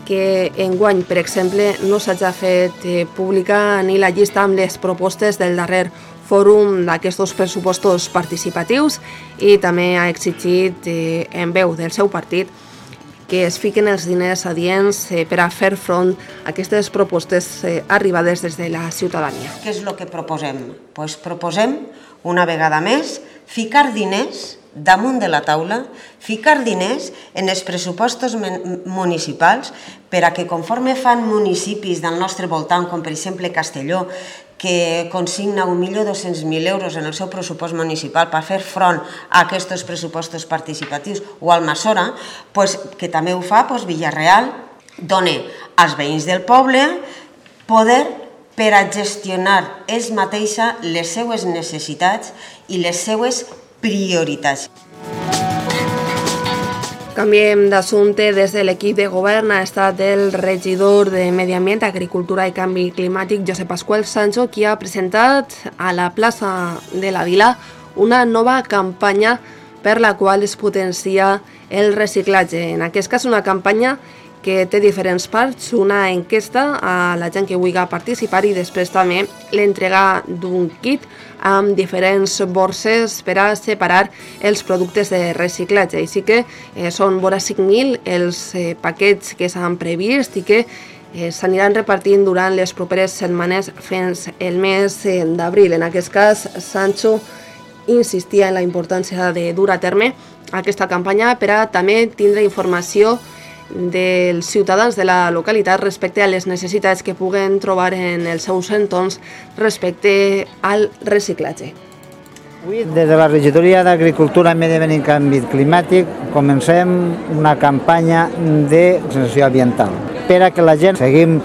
que enguany, per exemple, no s'hagi fet pública ni la llista amb les propostes del darrer fòrum d'aquests pressupostos participatius i també ha exigit en veu del seu partit que es fiquen els diners adients per a fer front a aquestes propostes arribades des de la ciutadania. Què és el que proposem? Pues proposem, una vegada més, ficar diners damunt de la taula, ficar diners en els pressupostos municipals per a que conforme fan municipis del nostre voltant, com per exemple Castelló, que consigna 1.200.000 euros en el seu pressupost municipal per fer front a aquests pressupostos participatius, o Almassora, que també ho fa, Villarreal dona als veïns del poble poder per a gestionar ells mateixa les seues necessitats i les seues prioritats. Canviem d'assumpte. Des de l'equip de govern ha estat el regidor de Medi Ambient, Agricultura i Canvi Climàtic, Josep Pasqual Sancho, qui ha presentat a la plaça de la Vila una nova campanya per la qual es potencia el reciclatge. En aquest cas, una campanya que té diferents parts, una enquesta a la gent que vulgui participar i després també l'entrega d'un kit amb diferents borses per a separar els productes de reciclatge. Així que són vora 5.000 els paquets que s'han previst i que s'aniran repartint durant les properes setmanes fins el mes d'abril. En aquest cas, Sancho insistia en la importància de dur a terme aquesta campanya per a també tindre informació dels ciutadans de la localitat respecte a les necessitats que puguen trobar en els seus entorns respecte al reciclatge. Avui, des de la Regidoria d'Agricultura, Medi Ambient i Canvi Climàtic, comencem una campanya de sensibilitat ambiental per a que la gent seguim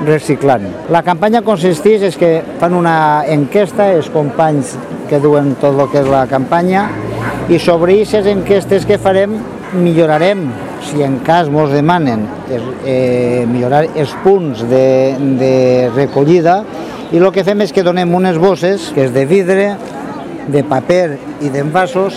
reciclant. La campanya consisteix en que fan una enquesta, els companys que duen tot el que és la campanya, i sobre aquestes enquestes que farem millorarem, si en cas ens demanen, millorar els punts de recollida, i el que fem és que donem unes bosses, que és de vidre, de paper i d'envasos,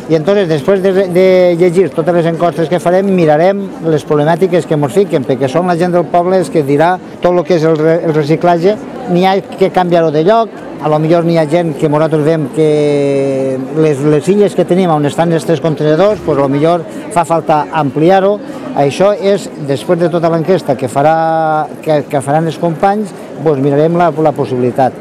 i entonces, després de llegir totes les enquestes que farem, mirarem les problemàtiques que ens fiquen, perquè són la gent del poble els que dirà tot el que és el reciclatge. N'hi ha que canviar-ho de lloc, a lo millor n'hi ha gent que nosaltres veiem que les illes que tenim on estan els 3 contenedors, a lo millor fa falta ampliar-ho. Això és, després de tota l'enquesta que faran els companys, mirarem la possibilitat.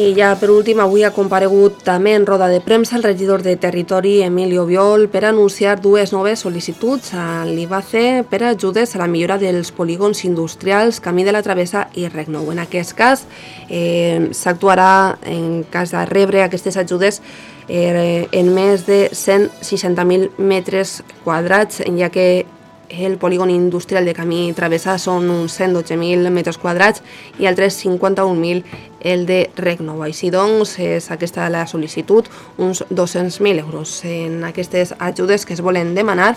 I ja per últim, avui ha comparegut també en roda de premsa el regidor de Territori, Emilio Biol, per anunciar 2 noves sol·licituds a l'IBACE per a ajudes a la millora dels polígons industrials Camí de la Travessa i Rec Nou. En aquest cas, s'actuarà en cas de rebre aquestes ajudes en més de 160.000 metres quadrats, ja que el polígon industrial de Camí Travessa són uns 112.000 metres quadrats i altres 51.000 el de Rec Nou. Així doncs, és aquesta la sol·licitud, uns 200.000 euros en aquestes ajudes que es volen demanar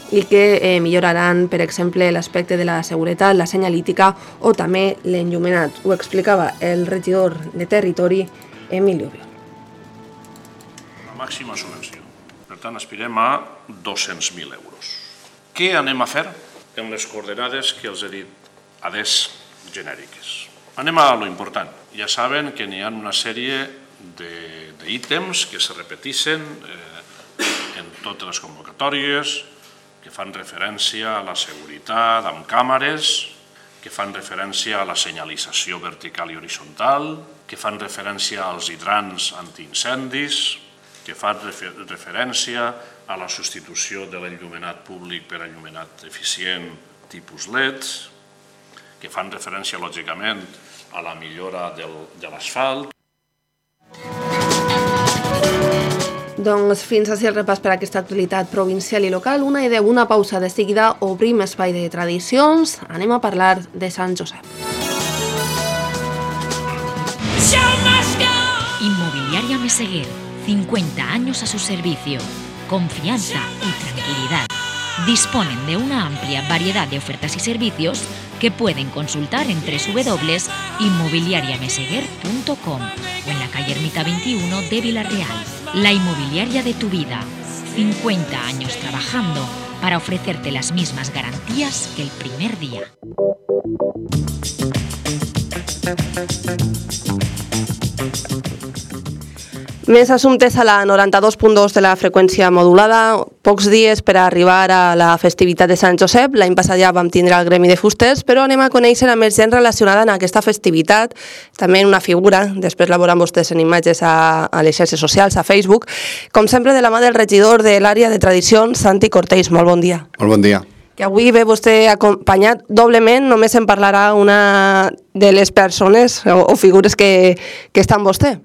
i que milloraran, per exemple, l'aspecte de la seguretat, la senyalítica o també l'enllumenat. Ho explicava el regidor de Territori, Emilio Biol. La màxima subvenció. Per tant, aspirem a 200.000 euros. Què anem a fer en les coordenades que els he dit adés genèriques? Anem a lo important. Ja saben que n'hi ha una sèrie d'ítems que se repeteixen en totes les convocatòries, que fan referència a la seguretat amb càmeres, que fan referència a la senyalització vertical i horitzontal, que fan referència als hidrants antiincendis, que fan referència a la substitució de l'enllumenat públic per enllumenat eficient tipus LED, que fan referència, lògicament, a la millora de l'asfalt. Doncs fins així el repàs per a aquesta actualitat provincial i local. Una pausa, de seguida obrim espai de tradicions. Anem a parlar de Sant Josep. Inmobiliaria Meseguer, 50 años a su servicio. Confianza y tranquilidad. Disponen de una amplia variedad de ofertas y servicios que pueden consultar en www.inmobiliariameseguer.com o en la calle Ermita 21 de Vila Real. La inmobiliaria de tu vida. 50 años trabajando para ofrecerte las mismas garantías que el primer día. Més assumptes a la 92.2 de la freqüència modulada. Pocs dies per a arribar a la festivitat de Sant Josep. L'any passat ja vam tindre el gremi de fusters, però anem a conèixer a més gent relacionada en aquesta festivitat. També una figura, després la veuran vostès en imatges a les xarxes socials, a Facebook. Com sempre, de la mà del regidor de l'àrea de tradicions, Santi Cortells. Molt bon dia. Molt bon dia. Que avui ve vostè acompanyat doblement, només en parlarà una de les persones o figures que està amb vostè.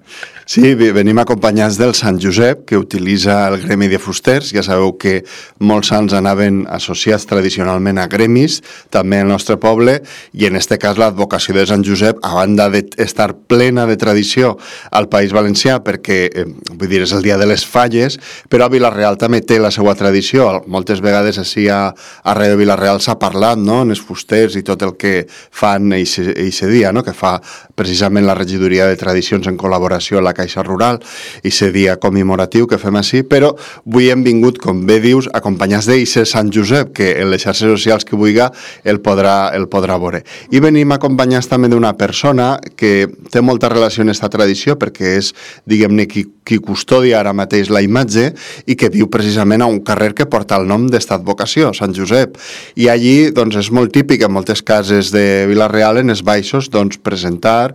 Sí, venim acompanyats del Sant Josep, que utilitza el gremi de fusters. Ja sabeu que molts sants anaven associats tradicionalment a gremis, també al nostre poble, i en aquest cas l'advocació de Sant Josep, a banda d'estar plena de tradició al País Valencià, perquè, vull dir, és el dia de les falles, però a Vila-real també té la seva tradició. Moltes vegades així arreu de Vila-real s'ha parlat, no?, en els fusters i tot el que fan eixe dia, no?, que fa precisament la regidoria de tradicions en col·laboració amb la Caixa Rural, i aquest dia commemoratiu que fem així, però avui hem vingut, com bé dius, acompanyats d'eixe Sant Josep, que en les xarxes socials que vulgui el podrà veure. I venim acompanyats també d'una persona que té molta relació amb aquesta tradició, perquè és, diguem-ne, qui custodia ara mateix la imatge i que viu precisament a un carrer que porta el nom d'esta advocació, Sant Josep. I allí, doncs, és molt típic en moltes cases de Vila-real, en els baixos, doncs, presentar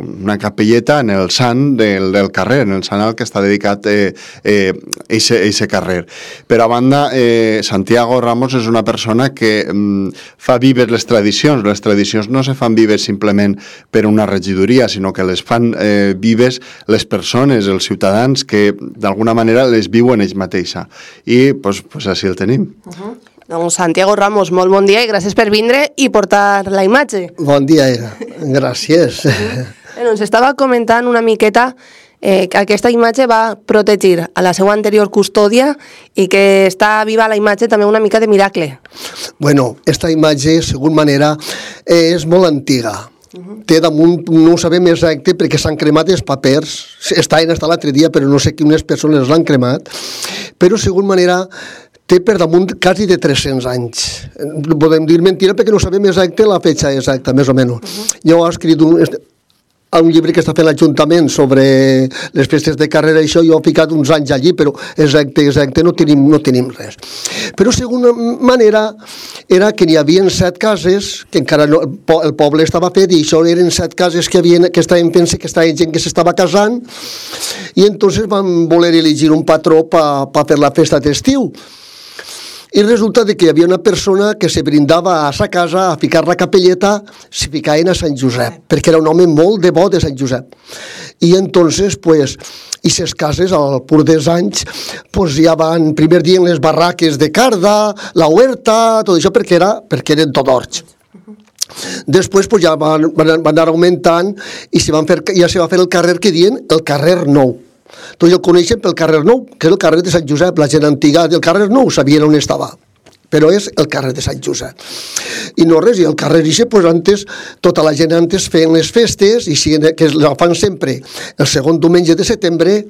una capelleta en el sant del carrer, en el sant al que està dedicat eixe carrer. Per a banda, Santiago Ramos és una persona que fa vives les tradicions. Les tradicions no se fan vives simplement per una regidoria, sinó que les fan vives les persones, els ciutadans, que d'alguna manera les viuen ells mateixa. I doncs així el tenim. Doncs Santiago Ramos, molt bon dia i gràcies per vindre i portar la imatge. Bon dia, gràcies. Ens estava comentant una miqueta que aquesta imatge va protegir a la seva anterior custòdia i que està viva la imatge també una mica de miracle. Bueno, esta imatge, segons manera, és molt antiga. Té damunt, no ho sabem exacte perquè s'han cremat els papers, estaven fins l'altre dia però no sé quines persones l'han cremat, però segons manera té per damunt quasi de 300 anys. Podem dir mentira perquè no sabem exacte la fetxa exacta, més o menys. Jo he escrit un llibre que està fent l'Ajuntament sobre les festes de carrera, i això jo he ficat uns anys allí, però exacte no tenim res. Però segona manera era que n'hi havia 7 cases, que encara no, el poble estava fet, i això eren 7 cases que estaven fent, que estava gent que s'estava casant, i entonces van voler elegir un patró per fer la festa d'estiu. I resulta que hi havia una persona que se brindava a sa casa a ficar la capelleta, se ficaven a Sant Josep, perquè era un home molt devot de Sant Josep. I entonces, pues, i ses cases, al pur dels anys, pues ja van, primer dia en les barraques de carda, la huerta, tot això, perquè eren tot horts. Després pues, ja van anar augmentant i ja se va fer el carrer que diuen el carrer Nou. Tots el coneixen pel carrer Nou, que és el carrer de Sant Josep. La gent antiga del carrer Nou sabien on estava, però és el carrer de Sant Josep. I no res, i el carrer Ixe, pues antes, tota la gent antes feien les festes, i que la fan sempre el segon diumenge de setembre,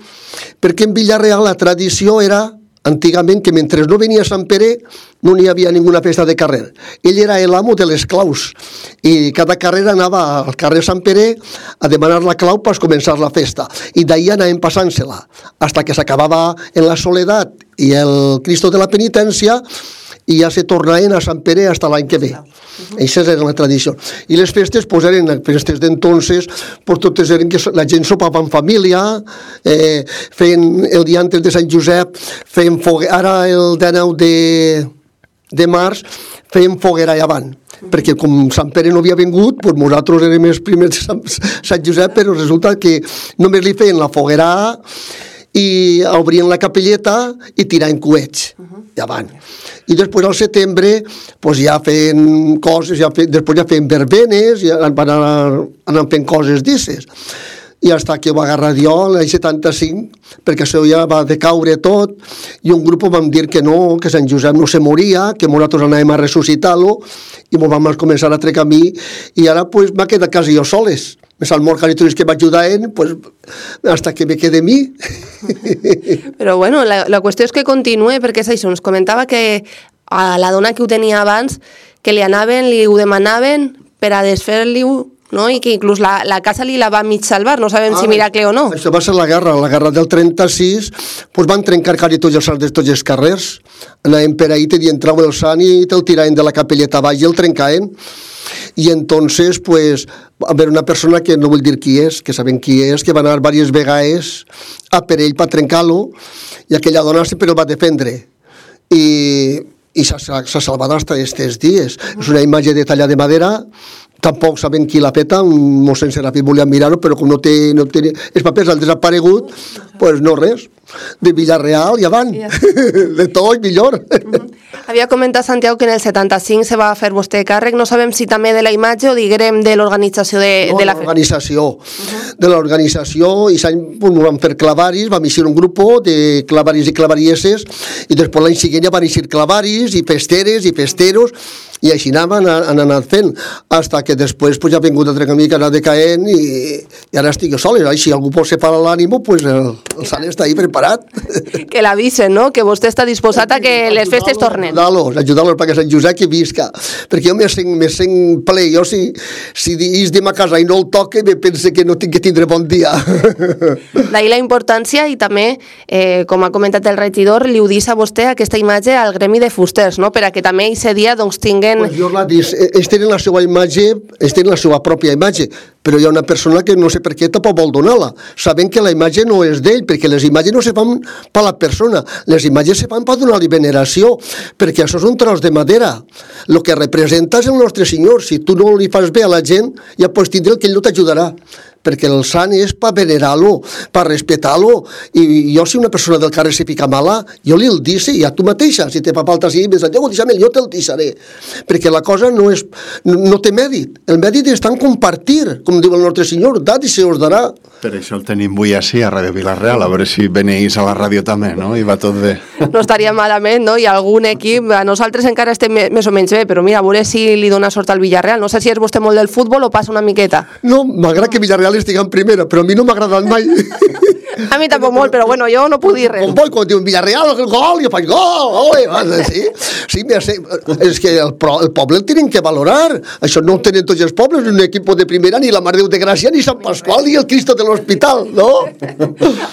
perquè en Vila-real la tradició era antigament que mentre no venia Sant Pere no n'hi havia ninguna festa de carrer. Ell era l'amo de les claus i cada carrer anava al carrer Sant Pere a demanar la clau per començar la festa, i d'ahir anàvem passant-se-la fins que s'acabava en la Soledat i el Cristo de la Penitència, i ja se tornaven a Sant Pere fins l'any que ve. Això era la tradició. I les festes pues, eren festes d'entonces, pues, totes eren que la gent sopava en família, feien el dia antes de Sant Josep, feien foguera, ara el 19 de març, feien foguera allà avant, perquè com Sant Pere no havia vingut, pues, nosaltres érem els primers de Sant Josep, però resulta que només li feien la foguera i obrien la capelleta i tiraven coets davant. I després al setembre pues, ja feien coses, després ja feien verbenes, ja van anar fent coses d'esses. I fins que ho va agarrar jo l'any 75, perquè això ja va decaure tot, i un grup vam dir que no, que Sant Josep no se moria, que nosaltres anàvem a ressuscitar-lo, i ens vam començar a treure camí, i ara pues, m'ha quedat quasi jo soles. me salmó caritoris que m'ajuden, pues, hasta que me quede a mi. Però bueno, la qüestió és que continue, perquè és això, ens comentava que a la dona que ho tenia abans, que li anaven, li ho demanaven per a desfer-li-ho, no? I que inclús la casa li la va mig salvar, no sabem si miracle o no. Això va ser la guerra del 36, pues van trencar quasi tots els sants de tots els carrers, anaven per ahí, i entrava el sant i te'l tiraven de la capelleta baix i el trencaven. I entonces, pues, va haver una persona que no vull dir qui és, que sabem qui és, que va anar diverses vegades a per ell per trencar-lo, i aquella dona sempre el va defendre. I s'ha salvat fins aquests dies. És una imatge de talla de madera, tampoc sabem qui l'ha feta, un mossèn Serafí volia mirar-ho, però com no té els papers han desaparegut, pues no res. De Villarreal i avant, de tot millor. Havia comentat, Santiago, que en el 75 se va fer vostè càrrec, no sabem si també de la imatge o diguem de l'organització de la festa. De l'organització, i s'any van fer clavaris, vam eixir un grup de clavaris i clavarieses, i després l'any següent ja van eixir clavaris i festeres i festeros, i així han anat fent, fins que després ja ha vingut altre camí que ha anat decaent i ara estic jo sol, i si algú pot separar l'ànimo, el sant està ahí preparat. Que l'avisen, no? Que vostè està disposat a que les festes tornen. Ajudar-los perquè Sant Josep que visca, perquè jo me sent ple, jo si és de ma casa i no el toque, me pense que no tinc que tindre bon dia. D'ahir la importància i també, com ha comentat el regidor, li ho dius a vostè aquesta imatge al gremi de fusters, no? Per a que també aquest dia doncs tinguen... Pues jo l'ha dit, ells tenen la seva imatge, ells tenen la seva pròpia imatge, però hi ha una persona que no sé per què tampoc vol donar-la, sabent que la imatge no és d'ell, perquè les imatges no se fan per la persona, les imatges se fan per donar-li veneració, perquè això és un tros de madera. El que representa és el nostre Senyor. Si tu no li fas bé a la gent, ja pots tindre el que ell no t'ajudarà, perquè el sant és per venerar-lo, per respectar-lo, i jo si una persona del carrer se fica mala, jo li el dic, i a tu mateixa, si te fa falta així, Santiago, deixa'm, jo te'l deixaré, perquè la cosa no té mèrit, el mèrit està en compartir, com diu el nostre Senyor, dat i se us darà. Per això el tenim avui així a Ràdio Vila-real, a veure si veneix a la ràdio també, no? I va tot bé. No estaria malament, no? I algun equip, a nosaltres encara estem més o menys bé, però mira, a veure si li dona sort al Villarreal. No sé si és vostè molt del futbol o passa una miqueta. No, m'agrada que Villarreal estigui en primera, però a mi no m'ha agradat mai. A mi tampoc molt, però bueno, jo no puc dir res. Quan diuen Villarreal, el gol, jo faig gol, sí, és que el poble el tenen que valorar, això no ho tenen tots els pobles, un equip de primera, ni la Mare de Déu de Gràcia, ni Sant Pasqual, ni el Cristo de l'Hospital, no?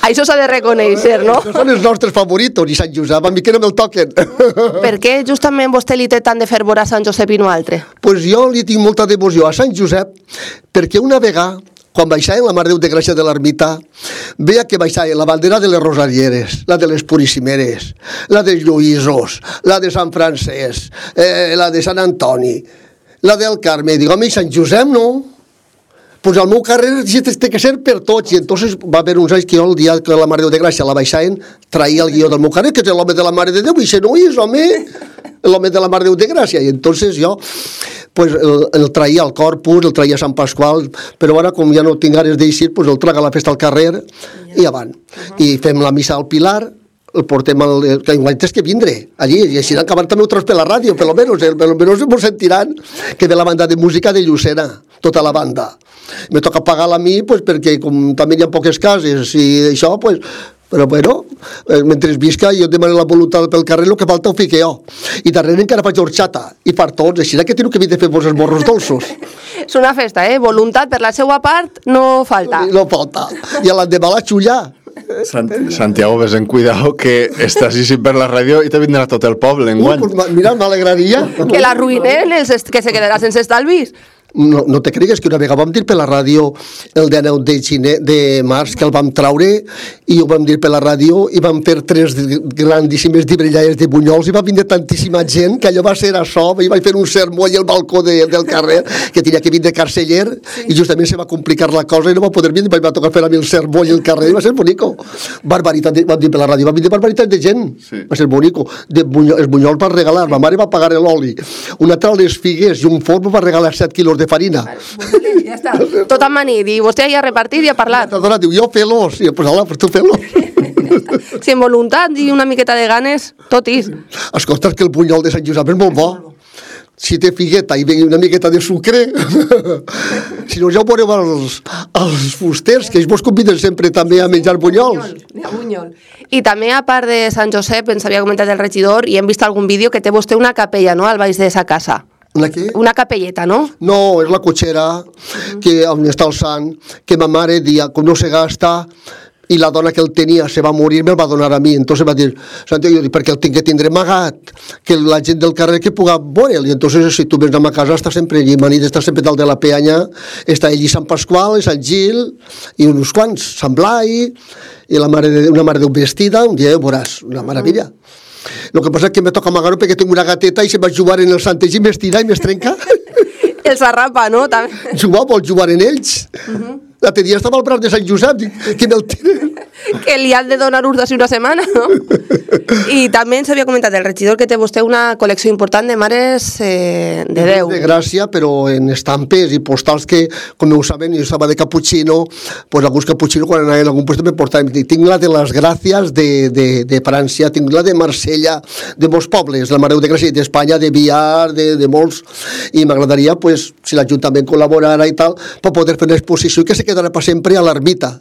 Això s'ha de reconèixer, no? Això són els nostres favoritos, i Sant Josep, a mi que no me'l toquen. Per què justament vostè li té tant de fervor a Sant Josep i no altre? Pues jo li tinc molta devoció a Sant Josep, perquè una vegada, quan baixaven la Mare de Déu de Gràcia de l'ermita, veia que baixaven la bandera de les Rosarieres, la de les Puríssimeres, la dels Lluïsos, la de Sant Francesc, la de Sant Antoni, la del Carme. Dic, home, i Sant Josep no? Pues al meu carrer té que ser per tots. I entonces va haver uns anys que jo, el dia que la Mare de Déu de Gràcia la baixaven, traia el guió del meu carrer, que és l'home de la Mare de Déu, i això no és, home, l'home de la Mare de Déu de Gràcia. I entonces jo pues el traia al Corpus, el traia a Sant Pasqual, però ara com ja no tinc ganes d'eixir, pues el traga a la festa al carrer i avant. I fem la missa al Pilar, el portem que igual tens que vindre allí, i així acabar també un tros per la ràdio, per almenys ens sentiran que ve la banda de música de Llucena, tota la banda. Me toca pagar-la a mi, pues, perquè com també hi ha poques cases i això, pues, però bueno, mentre visca jo demano la voluntat pel carrer, el que falta ho fico jo. I darrere encara faig horxata, i per tots, així que tinc que vindre a fer vos els morros dolços. És una festa, voluntat per la seva part no falta. No falta, i a l'endemà la xulla. Santiago, ves en cuidado que estàs així per la ràdio i te vindrà tot el poble enguany. Pues mira, m'alegraria. Que l'arruïnen, que se quedarà sense estalvis. No te cregues que una vegada vam dir per la ràdio el 19 de març que el vam traure i ho vam dir per la ràdio i vam fer 3 grandíssimes dibrellades de bunyols i va vindre tantíssima gent que allò va ser això, i vaig fer un sermó allà al balcó del carrer que tenia que vindre carceller i justament se va complicar la cosa i no va poder vindre, va tocar fer a mi el sermó allà al carrer i va ser bonico. Barbaritat, vam dir per la ràdio, va vindre barbaritat de gent, va ser bonico. Els bunyols va regalar, ma mare va pagar l'oli, una altra les figues i un forn va regalar 7 quilos de farina. Ja està. Tot amanit, i vostè ja ha repartit i ha parlat. La dona diu, jo fes-los, i pues hola, pues tu fes-los. Si amb voluntat i una miqueta de ganes, tot és. Escolta, que el bunyol de Sant Josep és molt bo. si té figueta i una miqueta de sucre, si no ja ho veureu als fusters, que ells vos conviden sempre també a menjar bunyols. I també, a part de Sant Josep, ens havia comentat el regidor, i hem vist algun vídeo que té vostè una capella, no?, al baix de sa casa. Una què? Una capelleta, no? No, és la cotxera on està el sant, que ma mare dia, com no se gasta, i la dona que el tenia se va morir, me'l va donar a mi. Entonces va dir, Santiago, perquè el tinc que tindre amagat, que la gent del carrer que puga veure'l. I entonces, si tu vens a ma casa, està sempre allí. Manit està sempre dalt de la peanya, està allí Sant Pasqual, Sant Gil, i uns quants, Sant Blai, i una mare Déu vestida, un dia ho veuràs, una meravella. El que passa és que me toca amagar-ho perquè tinc una gateta i se va jugar en el Santes i m'estira i m'estrenca. Els arrapa, no? També. Vol jugar en ells. L'altre dia estava al braç de Sant Josep, dic, que me'l tiren. Que li han de donar ús d'ací una setmana, no? I també ens havia comentat el regidor que té vostè una col·lecció important de mares de Déu. De Gràcia, però en estampes i postals que, com ho saben, jo estava de cappuccino, pues alguns cappuccino quan anaven a algun lloc me portaven. Tinc la de les Gràcies de França, tinc la de Marsella, de molts pobles, la Mare de Gràcia d'Espanya, de Villar, de molts, i m'agradaria, pues, si l'Ajuntament col·laborara i tal, per poder fer una exposició que se quedarà per sempre a l'ermita.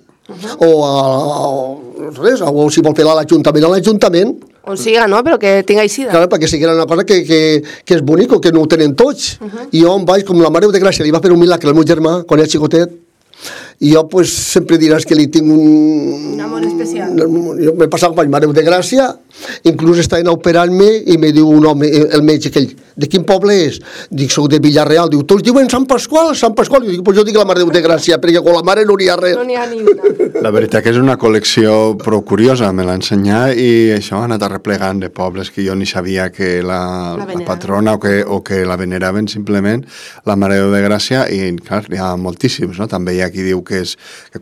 O si vol fer-la a l'Ajuntament, on siga, no? Però que tinga eixida. Clar, perquè sigui una cosa que és bonic, que no ho tenen tots. I jo em vaig, com la Mare de Gràcia li va fer un milagre al meu germà quan era xicotet, i jo pues, sempre diràs que li tinc un amor especial. Jo m'he passat per Mare de Gràcia, inclús estaven operant-me i me diu un home, el metge aquell, de quin poble és? Dic, soc de Villarreal. Diu, tots diuen Sant Pasqual. Jo dic, pues jo dic la Mare de Gràcia, perquè con la mare no n'hi ha res. No n'hi ha ni una. La veritat que és una col·lecció prou curiosa, me l'ha ensenyat, i això ha anat arreplegant de pobles que jo ni sabia que la patrona o que la veneraven simplement, la Mare de Gràcia, i clar, hi ha moltíssims, no? També hi ha qui diu que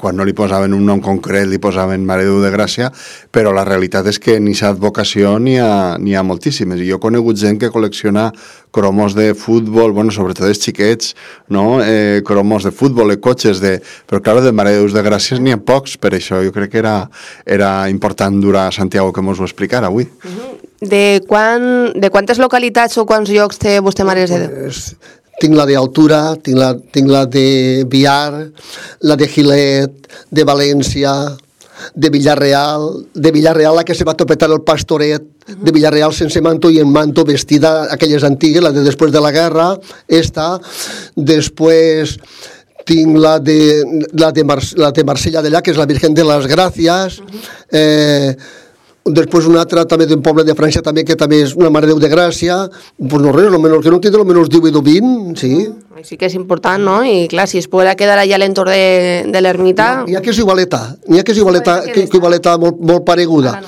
quan no li posaven un nom concret li posaven Mare de Gràcia, però la realitat és que ni s'ha advocació n'hi ha moltíssimes, i jo he conegut gent que col·lecciona cromos de futbol, bueno, sobretot els xiquets, no? Cromos de futbol, cotxes, però clar, de Mare de Gràcies n'hi ha pocs, per això jo crec que era important dur a Santiago que mos ho explicara avui. De quantes localitats o quants llocs té vostè Mares de Déu? Tinc la d'Altura, tinc la de Villar, la de Gilet, de València, de Villarreal, la que se va topetar el Pastoret, de Villarreal sense manto i en manto, vestida, aquelles antigues, la de després de la guerra, després tinc la de Marsella d'allà, que és la Virgen de les Gràcies, després una altra també d'un poble de França també, que també és una Mare de Déu de Gràcia, pues no res, que no tindre almenys 18 o 20, sí. Sí que és important, no? I clar, si es podrà quedar allà a l'entorn de l'ermita... N'hi ha que és igualeta, molt pareguda.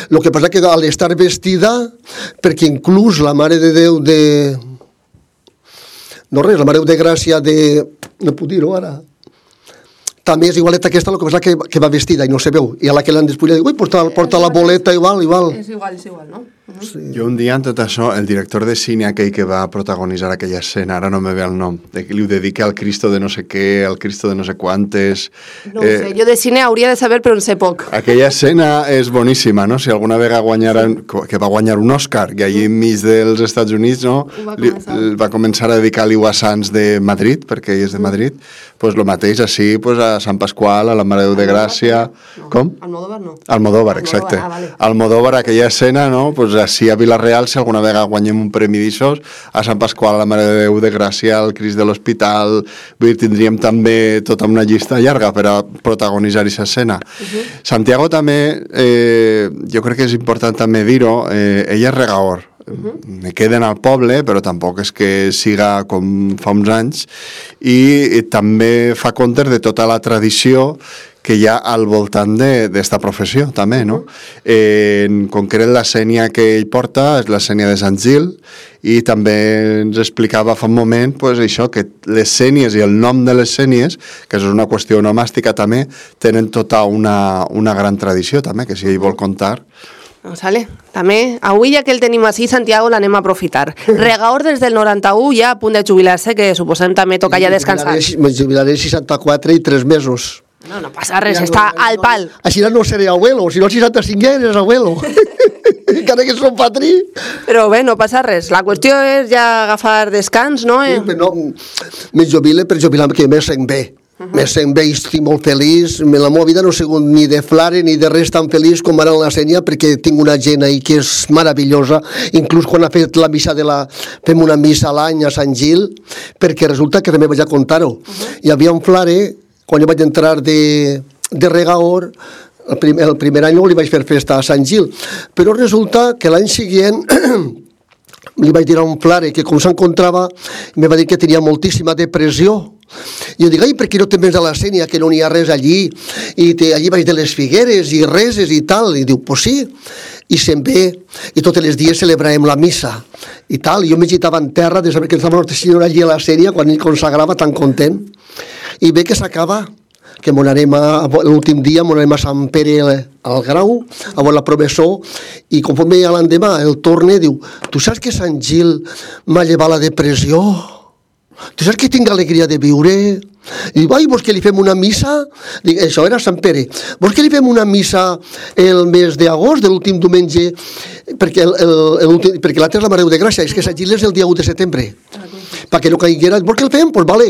El que passa que al estar vestida, perquè inclús la Mare de Déu de... No res, la Mare de Déu de Gràcia de... No puc dir-ho ara... També és igualeta aquesta, el que passa que va vestida i no se veu. I a la que l'han despullat, diu, ui, porta la boleta igual. És igual, no? Sí. Jo un dia en tot això, el director de cine aquell que va protagonitzar aquella escena, ara no me ve el nom, li ho dedica al Cristo de no sé què, al Cristo de no sé quantes... No ho sé, jo de cine hauria de saber, però en sé poc. Aquella escena és boníssima, no? Si alguna vegada que va guanyar un Òscar, i allí enmig dels Estats Units, no? Va començar a dedicar l'Iwa Sanz de Madrid, perquè ell és de Madrid, pues lo mateix així, pues a Sant Pasqual, a la Mare de Déu de Gràcia... Com? Almodóvar no. Almodóvar, exacte. Almodóvar, aquella escena, no? Pues així a Vila-real, si alguna vegada guanyem un premi d'aixòs, a Sant Pasqual, a la Mare de Déu de Gràcia, al Crist de l'Hospital, tindríem també tota una llista llarga per a protagonitzar aquesta escena. Santiago també, jo crec que és important també dir-ho, ella és regaor. Me queden al poble, però tampoc és que siga com fa uns anys, i també fa compte de tota la tradició que hi ha al voltant d'esta professió, també, no? En concret, la sènia que ell porta és la sènia de Sant Gil, i també ens explicava fa un moment, pues, això, que les sènies i el nom de les sènies, que és una qüestió onomàstica també, tenen tota una gran tradició, també, que si ell vol contar... Sale. També, avui ja que el tenim així, Santiago, l'anem a aprofitar. Regaor des del 91, ja a punt de jubilar-se, que suposem també toca ja descansar. Me jubilaré 64 i 3 mesos. No passa res, està al pal. Així no seré abuelo, si no 65 ja eres abuelo. encara que som patrí. Però bé, no passa res. La qüestió és ja agafar descans, no? Sí, però no, me jubile per jubilar que me sent bé. Me sent bé i estic molt feliç. La meva vida no ha sigut ni de flare ni de res tan feliç com ara en la Sénia, perquè tinc una gent ahí que és meravellosa. Inclús quan ha fet la missa fem una missa a l'any a Sant Gil, perquè resulta que també vaig a contar-ho. Hi havia un flare, quan jo vaig entrar de regaor, el primer any no li vaig fer festa a Sant Gil, però resulta que l'any següent li vaig dir a un flare que com s'encontrava me va dir que tenia moltíssima depressió. I jo dic, ai, per què no te vens a la Sénia, que no n'hi ha res allí, i allí baix de les figueres i reses i tal, i diu, pues sí, i se'n ve, i tots els dies celebràvem la missa, i tal, i jo me gitava en terra de saber que estava Nostra Senyora allí a la Sénia, quan ell consagrava tan content, i ve que s'acaba, que l'últim dia anem a Sant Pere al Grau, a veure la professor, i conforme ja l'endemà el torne, diu, tu saps que Sant Gil m'ha llevat la depressió? Tu saps que tinc alegria de viure? I diu, ai, vols que li fem una missa? Dic, això era Sant Pere. Vols que li fem una missa el mes d'agost, de l'últim diumenge? Perquè l'altre és la Mare de Gràcia, és que Sant Gil és el dia 1 de setembre. Perquè no caiguera, vols que el fem? Doncs vale.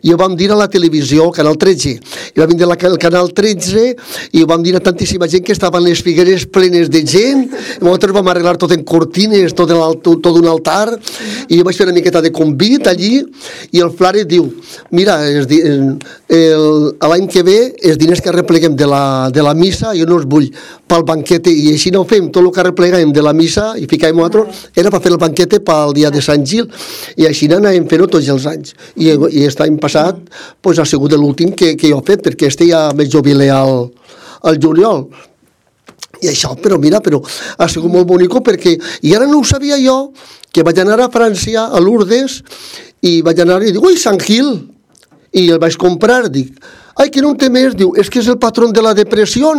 I ho vam dir a la televisió, al Canal 13. I vam dir al Canal 13 i ho vam dir a tantíssima gent que estaven les figueres plenes de gent. I nosaltres vam arreglar tot en cortines, tot un altar, i jo vaig fer una miqueta de convit allí, i el flare diu, mira, l'any que ve els diners que arrepleguem de la missa jo no els vull pel banquete, i així no ho fem, tot el que arrepleguem de la missa i ficàvem nosaltres era per fer el banquete pel dia de Sant Gil, i així anàvem fent-ho tots els anys, i aquest any passat pues, ha sigut l'últim que jo he fet, perquè ja me jubilé al juliol. I això, però ha sigut molt bonic, perquè, i ara no ho sabia jo, que vaig anar a França, a Lourdes, i vaig anar i dic, ui, Sant Gil, i el vaig comprar, dic, ai, que no en té més, diu, és que és el patró de la depressió.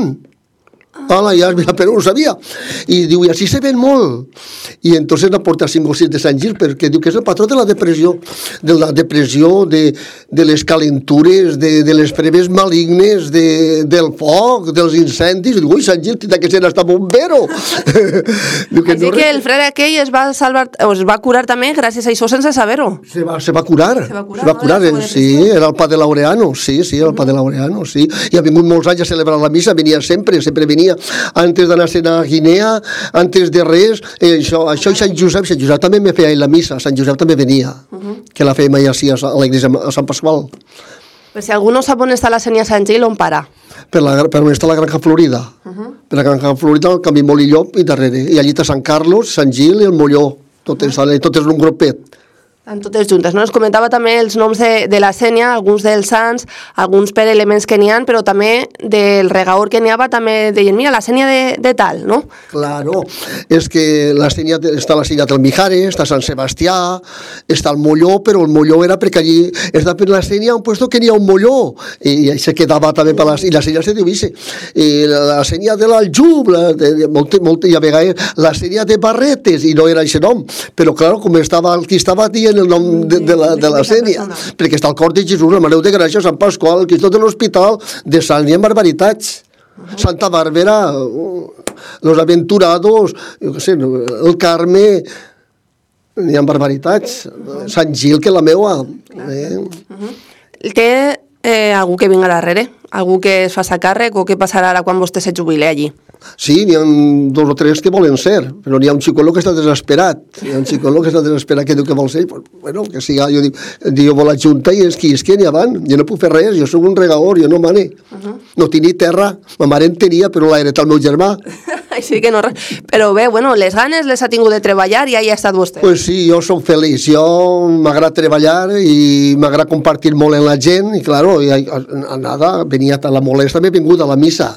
Hola, ja, però no ho sabia. I diu, i així se ven molt. I entonces la porta 5 o 6 de Sant Gil, perquè diu que és el patró de la depressió, de les calentures, de les preves malignes, del foc, dels incendis. I diu, ui, Sant Gil, tindrà que ser hasta bombero. Així que el frare aquell es va salvar, es va curar també gràcies a això sense saber-ho. Se va curar, sí, era el pa de Laureano, sí, era el pa de Laureano, sí. I ha vingut molts anys a celebrar la missa, venia sempre venia antes d'anar a Guinea, antes de res, això i Sant Josep també me feia la missa, Sant Josep també venia, que la fèiem allà a l'església a Sant Pasqual. Però si algú no sap on està la Sénia Sant Gil, on para? Per on està la Granja Florida. Per la Granja Florida, el camí Molillop i darrere. I allí està Sant Carlos, Sant Gil i el Molló. Tot és un grupet. Estan totes juntes, no? Ens comentava també els noms de la Sénia, alguns dels sants, alguns per elements que n'hi ha, però també del regaor que n'hi ha, també deien, mira, la Sénia de tal, no? Claro, és que la Sénia, està la Sénia del Mijares, està Sant Sebastià, està el Molló, però el Molló era perquè allí està per la Sénia un puesto que n'hi ha un Molló, i se quedava també per i la Sénia se diu Ise, i la Sénia de l'Aljub, i a vegades la Sénia de Barretes, i no era aquest nom, però clar, com estava el que estava dient el nom de la Sénia, perquè està el cor de Jesús, la Mare de Gràcia, Sant Pasqual, el Cristo de l'Hospital, de Sant n'hi ha barbaritats. Santa Bàrbara, Los Aventurados, jo què sé, el Carme, n'hi ha barbaritats. Sant Gil, que la meua. Té algú que vinga darrere? Algú que es faci càrrec o què passarà ara quan vostè se jubile allí? Sí, n'hi ha 2 o 3 que volen ser, però n'hi ha un xicolo que està desesperat. Hi ha un xicolo que està desesperat que diu que vol ser. Bueno, que siga, jo dic, jo vol la Junta i és que n'hi avant. Jo no puc fer res, jo soc un regaor, jo no mane. No tinc ni terra, ma mare en tenia, però l'ha heretat el meu germà. Així que no res. Però bé, bueno, les ganes les ha tingut de treballar i ahí ha estat vostè. Pues sí, jo soc feliç. Jo m'agrada treballar i m'agrada compartir molt amb la gent i, claro, nada, venia a la molesta, m'he vingut a la missa.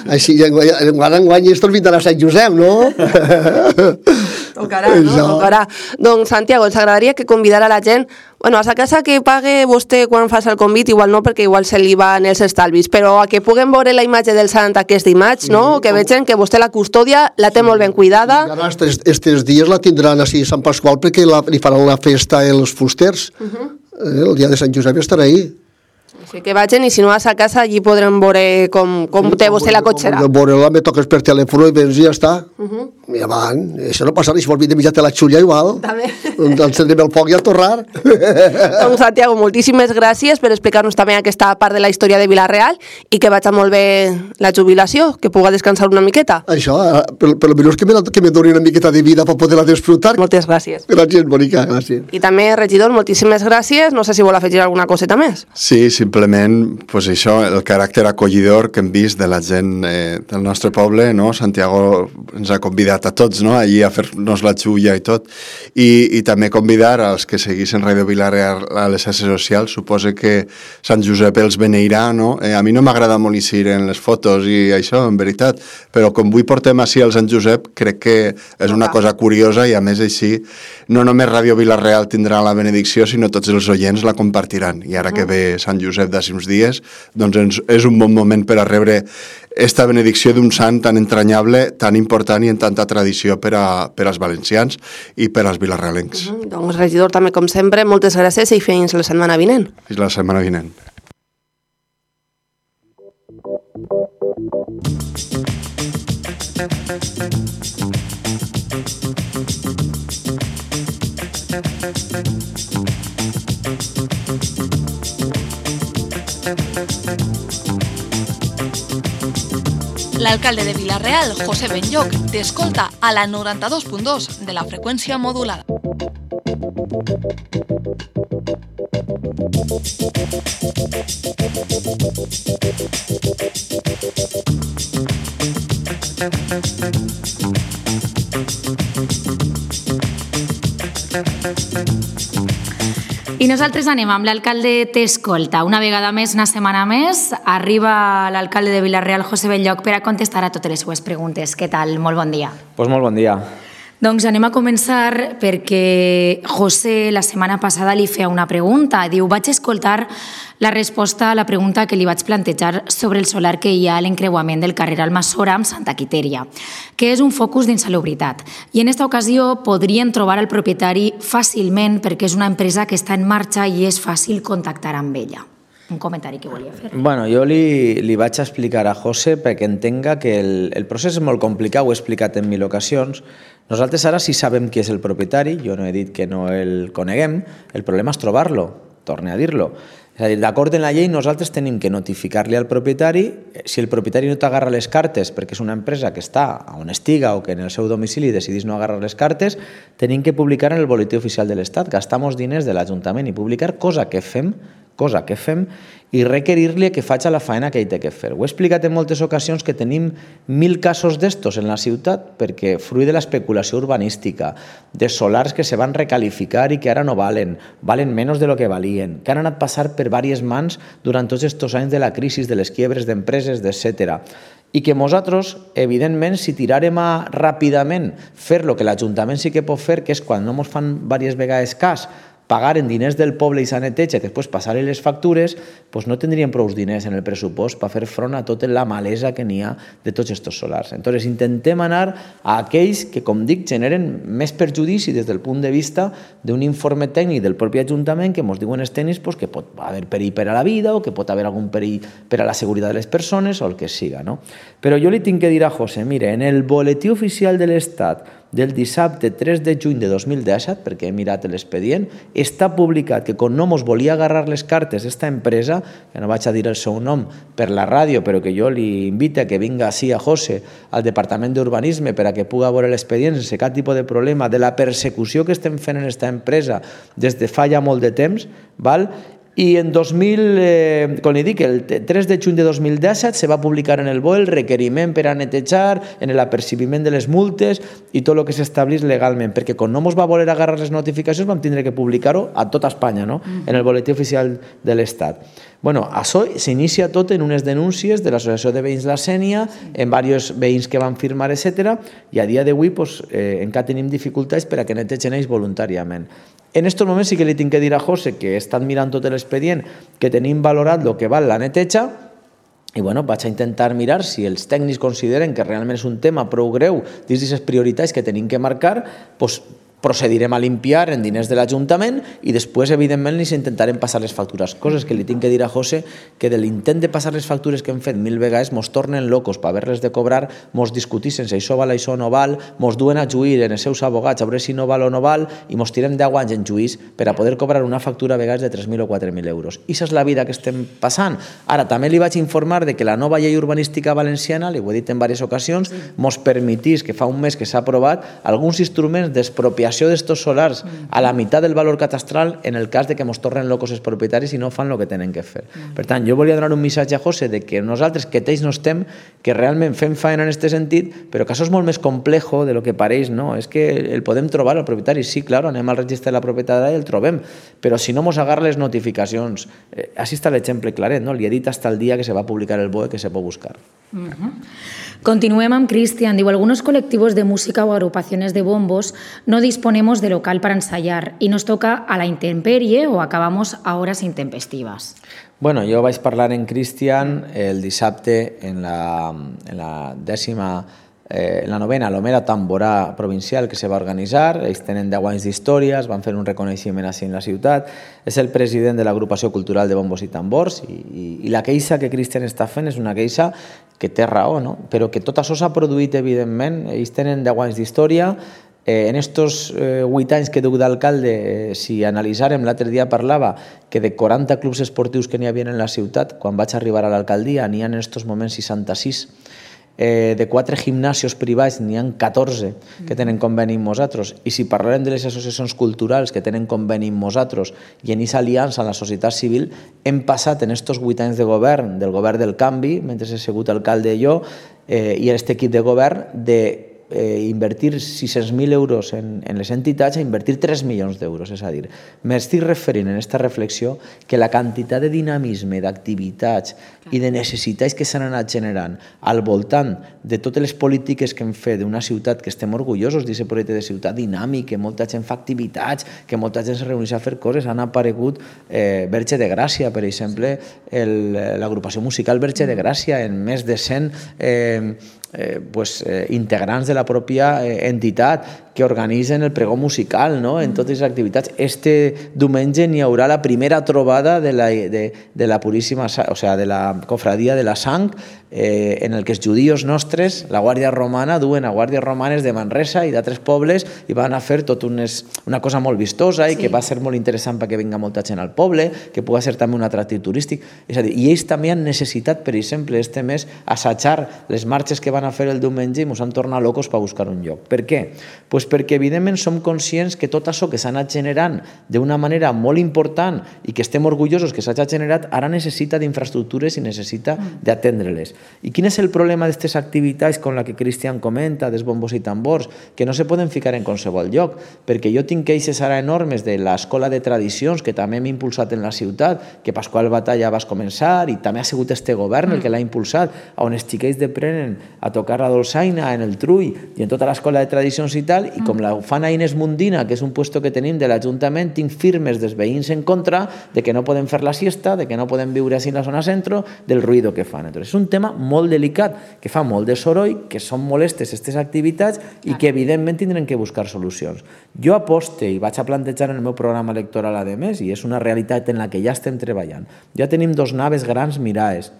Així, enguany estos vindran a Sant Josep, no? Tocarà, no? Tocarà. Doncs, Santiago, ens agradaria que convidara la gent, bueno, a sa casa que pague vostè quan fas el convit, igual no, perquè igual se li van els estalvis, però a que puguem veure la imatge del sant aquest dimarts, no? Que vegin que vostè la custòdia la té molt ben cuidada. I ara, estes dies la tindran així a Sant Pasqual perquè li faran la festa els fusters. El dia de Sant Josep estarà ahí. Així que vagin i si no vas a casa allí podrem veure com té vostè la cotxera. Veure-la, me toques per telèfon i vens i ja està. I avant, això no passarà, si vols vir de mitjà te la xulla igual. També. Encendrem el foc i a torrar. Doncs Santiago, moltíssimes gràcies per explicar-nos també aquesta part de la història de Vila-real i que vagi molt bé la jubilació, que puga descansar una miqueta. Això, per almenys que me doni una miqueta de vida per poder-la disfrutar. Moltes gràcies. Gràcies, Mònica, gràcies. I també, regidor, moltíssimes gràcies. No sé si vol afegir alguna coseta més. Sí, simplement, pues això, el caràcter acollidor que hem vist de la gent del nostre poble, no? Santiago ens ha convidat a tots, no? Allí a fer-nos la xulla i tot. I també convidar als que seguissin Ràdio Vila-real a les xarxes socials. Suposo que Sant Josep els beneirà, no? A mi no m'agrada molt eixir en les fotos i això, en veritat, però com avui portem així al Sant Josep, crec que és una cosa curiosa i a més així no només Ràdio Vila-real tindrà la benedicció, sinó tots els oients la compartiran. I ara que ve Sant Josep d'aquí uns dies, doncs és un bon moment per a rebre esta benedicció d'un sant tan entranyable, tan important i en tanta tradició per als valencians i per als vilarrealencs. Doncs, regidor, també com sempre, moltes gràcies i fins la setmana vinent. Fins la setmana vinent. L'alcalde de Vila-real, José Benlloch, t'escolta a la 92.2 de la freqüència modulada. I nosaltres anem amb l'alcalde t'escolta. Una vegada més, una setmana més, arriba l'alcalde de Vila-real, José Benlloch, per a contestar a totes les seues preguntes. Què tal? Molt bon dia. Pues molt bon dia. Doncs anem a començar perquè José la setmana passada li feia una pregunta. Diu, vaig escoltar la resposta a la pregunta que li vaig plantejar sobre el solar que hi ha a l'encreuament del carrer Almassora amb Santa Quitèria, que és un focus d'insalubritat. I en aquesta ocasió podrien trobar el propietari fàcilment perquè és una empresa que està en marxa i és fàcil contactar amb ella. Un comentari que volia fer. Bueno, jo li vaig explicar a José perquè entenga que el procés és molt complicat, ho he explicat en 1000 ocasions. Nosaltres ara sí sabem qui és el propietari, jo no he dit que no el coneguem, el problema és trobar-lo, torne a dir-lo. És a dir, d'acord en la llei, nosaltres tenim que notificar-li al propietari, si el propietari no t'agarra les cartes perquè és una empresa que està on estiga o que en el seu domicili decidís no agarrar les cartes, tenim que publicar en el boletí oficial de l'Estat, gastar-nos diners de l'Ajuntament i publicar, cosa que fem i requerir-li que faci la feina que ell té que fer. Ho he explicat en moltes ocasions que tenim 1000 casos d'estos en la ciutat perquè fruit de l'especulació urbanística, de solars que se van recalificar i que ara no valen menys de lo que valien, que han anat passar per diverses mans durant tots aquests anys de la crisi, de les quiebres d'empreses, etc. I que nosaltres, evidentment, si tirarem a ràpidament fer el que l'Ajuntament sí que pot fer, que és quan no ens fan diverses vegades cas, pagar en diners del poble i sa neteja, que després passar-li les factures, doncs no tindríem prou diners en el pressupost per fer front a tota la malesa que n'hi ha de tots aquests solars. Entonces, intentem anar a aquells que, com dic, generen més perjudici des del punt de vista d'un informe tècnic del propi Ajuntament que ens diuen els tècnics que pot haver perill per a la vida o que pot haver algun perill per a la seguretat de les persones o el que siga. Però jo li tinc que dir a José, mire, en el boletí oficial de l'Estat del dissabte 3 de juny de 2017, perquè he mirat l'expedient, està publicat que com no mos volia agarrar les cartes esta empresa, que no vaig a dir el seu nom per la ràdio, però que jo li invito a que vinga així a José, al Departament d'Urbanisme, per a que puga veure l'expedient sense cap tipus de problema de la persecució que estem fent en esta empresa des de fa ja molt de temps, val? I en com li dic, el 3 de juny de 2017 se va publicar en el BOE el requeriment per a netejar, en l'apercibiment de les multes i tot el que s'establís legalment, perquè com no ens va voler agarrar les notificacions vam tindre que publicar-ho a tota Espanya, en el boletí oficial de l'Estat. Bueno, això s'inicia tot en unes denúncies de l'Associació de Veïns La Sénia, en diversos veïns que van firmar, etc. I a dia d'avui encara tenim dificultats per a que netegen ells voluntàriament. En aquests moments sí que li tinc que dir a José que he estat mirant tot l'expedient, que tenim valorat el que val la neteja, i vaig a intentar mirar si els tècnics consideren que realment és un tema prou greu dins d'aquestes prioritats que tenim que marcar, procedirem a limpiar en diners de l'Ajuntament i després, evidentment, li intentarem passar les factures. Coses que li tinc que dir a José, que de l'intent de passar les factures que hem fet 1000 vegades mos tornen locos per haver-les de cobrar, mos discutissin si això val, això no val, mos duen a juir en els seus abogats a veure si no val o no val i mos tirem 10 anys en juís per a poder cobrar una factura a vegades de 3.000 o 4.000 euros. I això és la vida que estem passant. Ara, també li vaig informar de que la nova llei urbanística valenciana, li ho he dit en diverses ocasions, mos permetís, que fa un mes que s'ha aprovat, alguns instruments d'expropiació d'estos solars a la meitat del valor catastral en el cas de que mos tornen locos els propietaris i no fan el que tenen que fer. Per tant, jo volia donar un missatge a José de que nosaltres, que ells no estem, que realment fem feina en aquest sentit, però que això és molt més complejo de lo que pareix, no? És que el podem trobar al propietari, sí, clar, anem al registre de la propietat i el trobem, però si no mos agarra les notificacions, així està l'exemple claret, no? Li he dit hasta el dia que se va publicar el BOE que se pot buscar. Continuem amb Cristian. Diu, algunos colectivos de música o agrupaciones de bombos no disponemos de local para ensayar y nos toca a la intemperie o acabamos a horas intempestivas. Bueno, jo vaig parlar en Cristian el dissabte en la novena Lomera Tamborà provincial que se va organitzar. Ells tenen 10 anys d'història, van fer un reconeixement així en la ciutat. És el president de l'agrupació cultural de bombos i tambors i la queixa que Cristian està fent és una queixa que té raó, no? Però que tot això s'ha produït, evidentment. Ells tenen 10 anys d'història. En estos 8 anys que duc d'alcalde, si analitzarem, l'altre dia parlava que de 40 clubs esportius que n'hi havia en la ciutat, quan vaig arribar a l'alcaldia, n'hi ha en estos moments 66. De 4 gimnasios privats n'hi ha 14 que tenen conveni amb nosaltres, i si parlarem de les associacions culturals que tenen conveni amb nosaltres i en aquesta aliança amb la societat civil, hem passat en estos 8 anys de govern, del govern del canvi, mentre he sigut alcalde jo, i aquest equip de govern, de invertir 600.000 euros en les entitats a invertir 3 milions d'euros. És a dir, m'estic referint en aquesta reflexió que la quantitat de dinamisme, d'activitats i de necessitats que s'han anat generant al voltant de totes les polítiques que hem fet d'una ciutat que estem orgullosos d'aquest projecte de ciutat dinàmic, que molta gent fa activitats, que molta gent se reuneix a fer coses. Han aparegut Verge de Gràcia, per exemple, l'agrupació musical Verge de Gràcia, en més de 100 integrants de la pròpia entitat que organitzen el pregó musical, no? En totes les activitats. Este diumenge n'hi haurà la primera trobada de la Puríssima, o sigui, de la Cofradia de la Sang, en el que els judíos nostres, la Guàrdia Romana, duen a guàrdies romanes de Manresa i d'altres pobles i van a fer tot una cosa molt vistosa i que va ser molt interessant perquè vinga molta gent al poble, que pugui ser també un atractiu turístic. És a dir, i ells també han necessitat, per exemple, este mes, assajar les marxes que van a fer el diumenge i ens han tornat locos per buscar un lloc. Per què? Doncs perquè, evidentment, som conscients que tot això que s'ha anat generant d'una manera molt important i que estem orgullosos que s'hagi generat, ara necessita d'infraestructures i necessita d'atendre-les. I quin és el problema d'aquestes activitats com la que Cristian comenta, dels bombos i tambors, que no se poden ficar en qualsevol lloc? Perquè jo tinc queixes ara enormes de l'Escola de Tradicions, que també hem impulsat en la ciutat, que Pasqual Batalla va començar i també ha sigut este govern el que l'ha impulsat, on els xiquets aprenen a tocar la dolçaina en el trull i en tota l'Escola de Tradicions i tal, i com la fan a Inés Mundina, que és un puesto que tenim de l'Ajuntament, tinc firmes dels veïns en contra de que no podem fer la siesta, de que no podem viure així en la zona centro, del ruïdo que fan. Entonces, és un tema molt delicat, que fa molt de soroll, que són molestes aquestes activitats i que evidentment tindrem que buscar solucions. Jo aposte i vaig a plantejar en el meu programa electoral a més, i és una realitat en la que ja estem treballant. Ja tenim 2 naves grans miraes,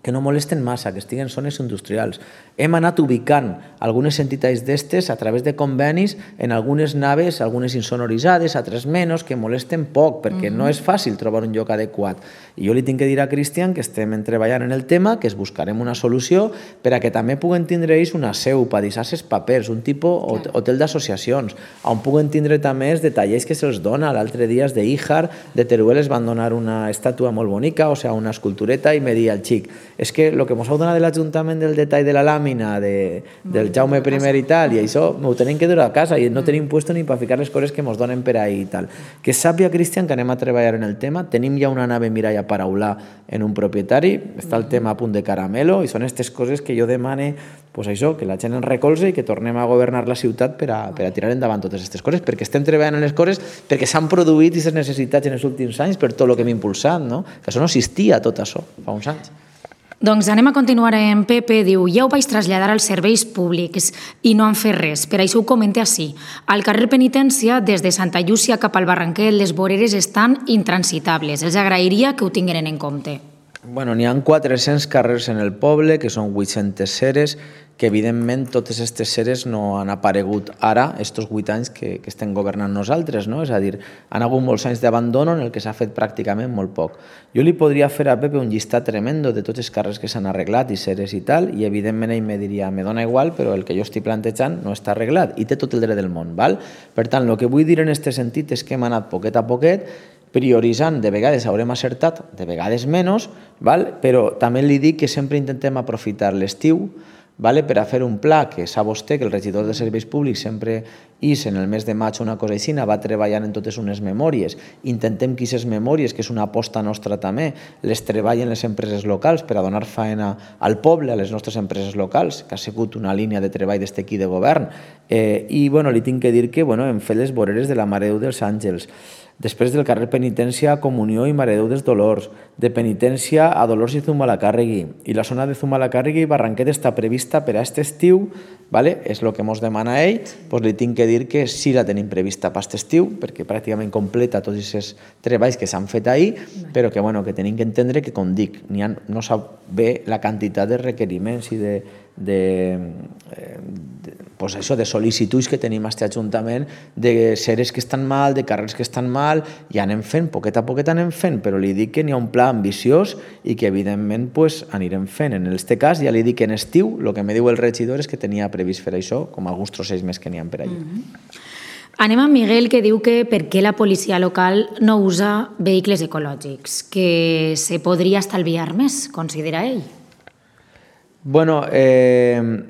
que no molesten massa, que estiguen en zones industrials. Hem anat ubicant algunes entitats d'estes a través de convenis en algunes naves, algunes insonoritzades, altres menys, que molesten poc, perquè no és fàcil trobar un lloc adequat. I jo li tinc que dir a Cristian que estem treballant en el tema, que es buscarem una solució per a que també puguen tindre ells una seu per deixar els papers, un tipus hotel d'associacions, on puguen tindre també els detallers que se'ls dona. L'altre dia de Íjar, de Teruel, es van donar una estàtua molt bonica, o sigui, una escultureta, i me dia el xic, és que el que ens heu donat de l'Ajuntament del detall de la làmina del Jaume I i tal, i això m'ho tenim que dur a casa i no tenim puesto ni per ficar les coses que ens donen per ahí i tal. Que sàpia, Cristian, que anem a treballar en el tema. Tenim ja una nave miralla paraular en un propietari, està el tema a punt de caramelo, i són aquestes coses que jo demane, pues això, que la gent ens recolze i que tornem a governar la ciutat per a tirar endavant totes aquestes coses, perquè estem treballant en les coses, perquè s'han produït aquestes necessitats en els últims anys per tot el que hem impulsat, no? Que això no existia, tot això, fa uns anys. Doncs anem a continuar en Pepe. Diu, ja ho vaig traslladar als serveis públics i no han fet res. Per això ho comenta així. Al carrer Penitència, des de Santa Llúcia cap al Barranquet, les voreres estan intransitables. Els agrairia que ho tinguin en compte. Bueno, n'hi ha 400 carrers en el poble, que són 800 ceres, que evidentment totes aquestes ceres no han aparegut ara, estos 8 anys que estem governant nosaltres, no? És a dir, han hagut molts anys d'abandono en el que s'ha fet pràcticament molt poc. Jo li podria fer a Pepe un llistat tremendo de tots els carrers que s'han arreglat i ceres i tal, i evidentment ell me diria, me dona igual, però el que jo estic plantejant no està arreglat, i té tot el dret del món, val? Per tant, el que vull dir en aquest sentit és que hem anat poquet a poquet, prioritzant, de vegades haurem acertat, de vegades menys, però també li dic que sempre intentem aprofitar l'estiu per a fer un pla que sap vostè que el regidor de serveis públics sempre és en el mes de maig una cosa així, va treballant en totes unes memòries. Intentem que aquestes memòries, que és una aposta nostra també, les treballen les empreses locals per a donar faena al poble, a les nostres empreses locals, que ha sigut una línia de treball d'este equip de govern. I li tinc que dir que hem fet les voreres de la Mare de Déu dels Àngels, després del carrer Penitència a Comunió i Mare de Déu dels Dolors, de Penitència a Dolors i Zumalacárregui, i la zona de Zumalacárregui i Barranquet està prevista per a aquest estiu, és el que ens demana ell, li tinc que dir que sí la tenim prevista per aquest estiu, perquè pràcticament completa tots aquests treballs que s'han fet ahir, però que tenim que entendre que, com dic, no sap bé la quantitat de requeriments i de sol·licituds que tenim a aquest Ajuntament, de ceres que estan mal, de carrers que estan mal, i anem fent, poquet a poquet anem fent, però li dic que n'hi ha un pla ambiciós i que evidentment anirem fent. En aquest cas ja li dic que en estiu el que me diu el regidor és que tenia previst fer això, com alguns trocells més que n'hi ha per allà. Anem a Miguel, que diu que per què la policia local no usa vehicles ecològics, que se podria estalviar més, considera ell. Bueno, el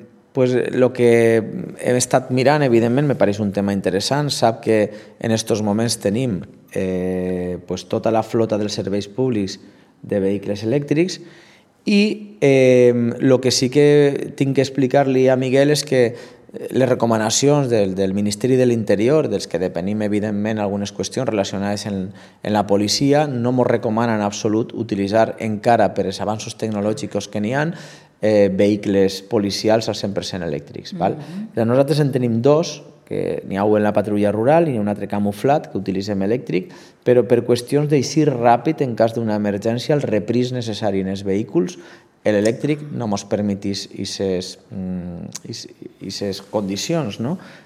que he estat mirant, evidentment, me pareix un tema interessant. Sap que en aquests moments tenim tota la flota dels serveis públics de vehicles elèctrics i el que sí que tinc que explicar-li a Miguel és que les recomanacions del Ministeri de l'Interior, dels que depenim, evidentment, algunes qüestions relacionades en la policia, no ens recomanen en absolut utilitzar encara per als avanços tecnològics que n'hi ha vehicles policials al 100% elèctrics. Nosaltres en tenim dos, que n'hi ha un en la patrulla rural i un altre camuflat que utilitzem elèctric, però per qüestions d'eixir ràpid en cas d'una emergència, el repris necessari en els vehicles, l'elèctric no ens permetís aquestes condicions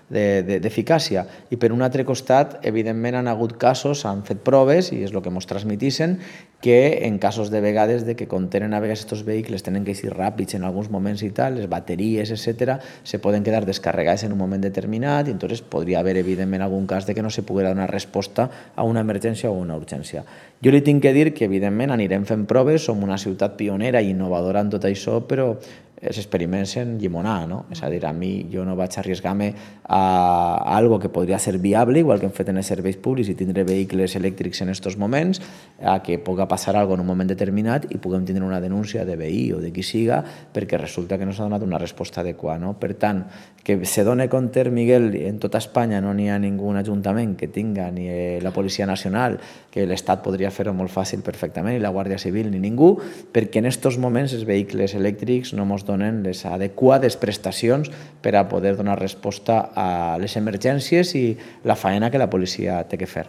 d'eficàcia. I per un altre costat, evidentment, han hagut casos, han fet proves, i és el que ens transmitissen, que en casos de vegades que contenen a vegades aquests vehicles tenen que ser ràpids en alguns moments i tal, les bateries, etc., se poden quedar descarregades en un moment determinat i entonces podria haver, evidentment, algun cas de que no se poguera donar resposta a una emergència o una urgència. Jo li tinc que dir que, evidentment, anirem fent proves, som una ciutat pionera i innovadora en tot això, però els experiments en llimonar, no? És a dir, a mi jo no vaig arriesgar-me a algo que podria ser viable, igual que hem fet en els serveis públics i tindre vehicles elèctrics en aquests moments, a que pugui passar alguna cosa en un moment determinat i puguem tindre una denúncia de veí o de qui siga perquè resulta que no s'ha donat una resposta adequada. Per tant, que se doni compte, Miguel, en tota Espanya no n'hi ha ningú ajuntament que tinga ni la Policia Nacional, que l'Estat podria fer-ho molt fàcil perfectament, ni la Guàrdia Civil ni ningú, perquè en aquests moments els vehicles elèctrics no ens donen les adequades prestacions per a poder donar resposta a les emergències i la faena que la policia té que fer.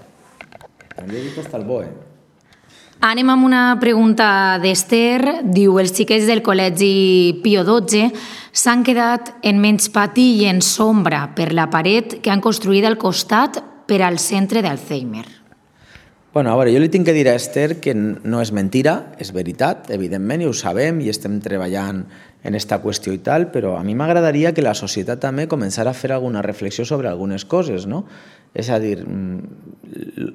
També he dit hasta el bo, Anem amb una pregunta d'Ester. Diu, els xiquets del col·legi Pío XII s'han quedat en menys pati i en sombra per la paret que han construït al costat per al centre d'Alzheimer. Bueno, a veure, jo li tinc que dir a Esther que no és mentira, és veritat, evidentment, i ho sabem i estem treballant en aquesta qüestió i tal, però a mi m'agradaria que la societat també començara a fer alguna reflexió sobre algunes coses, no? És a dir,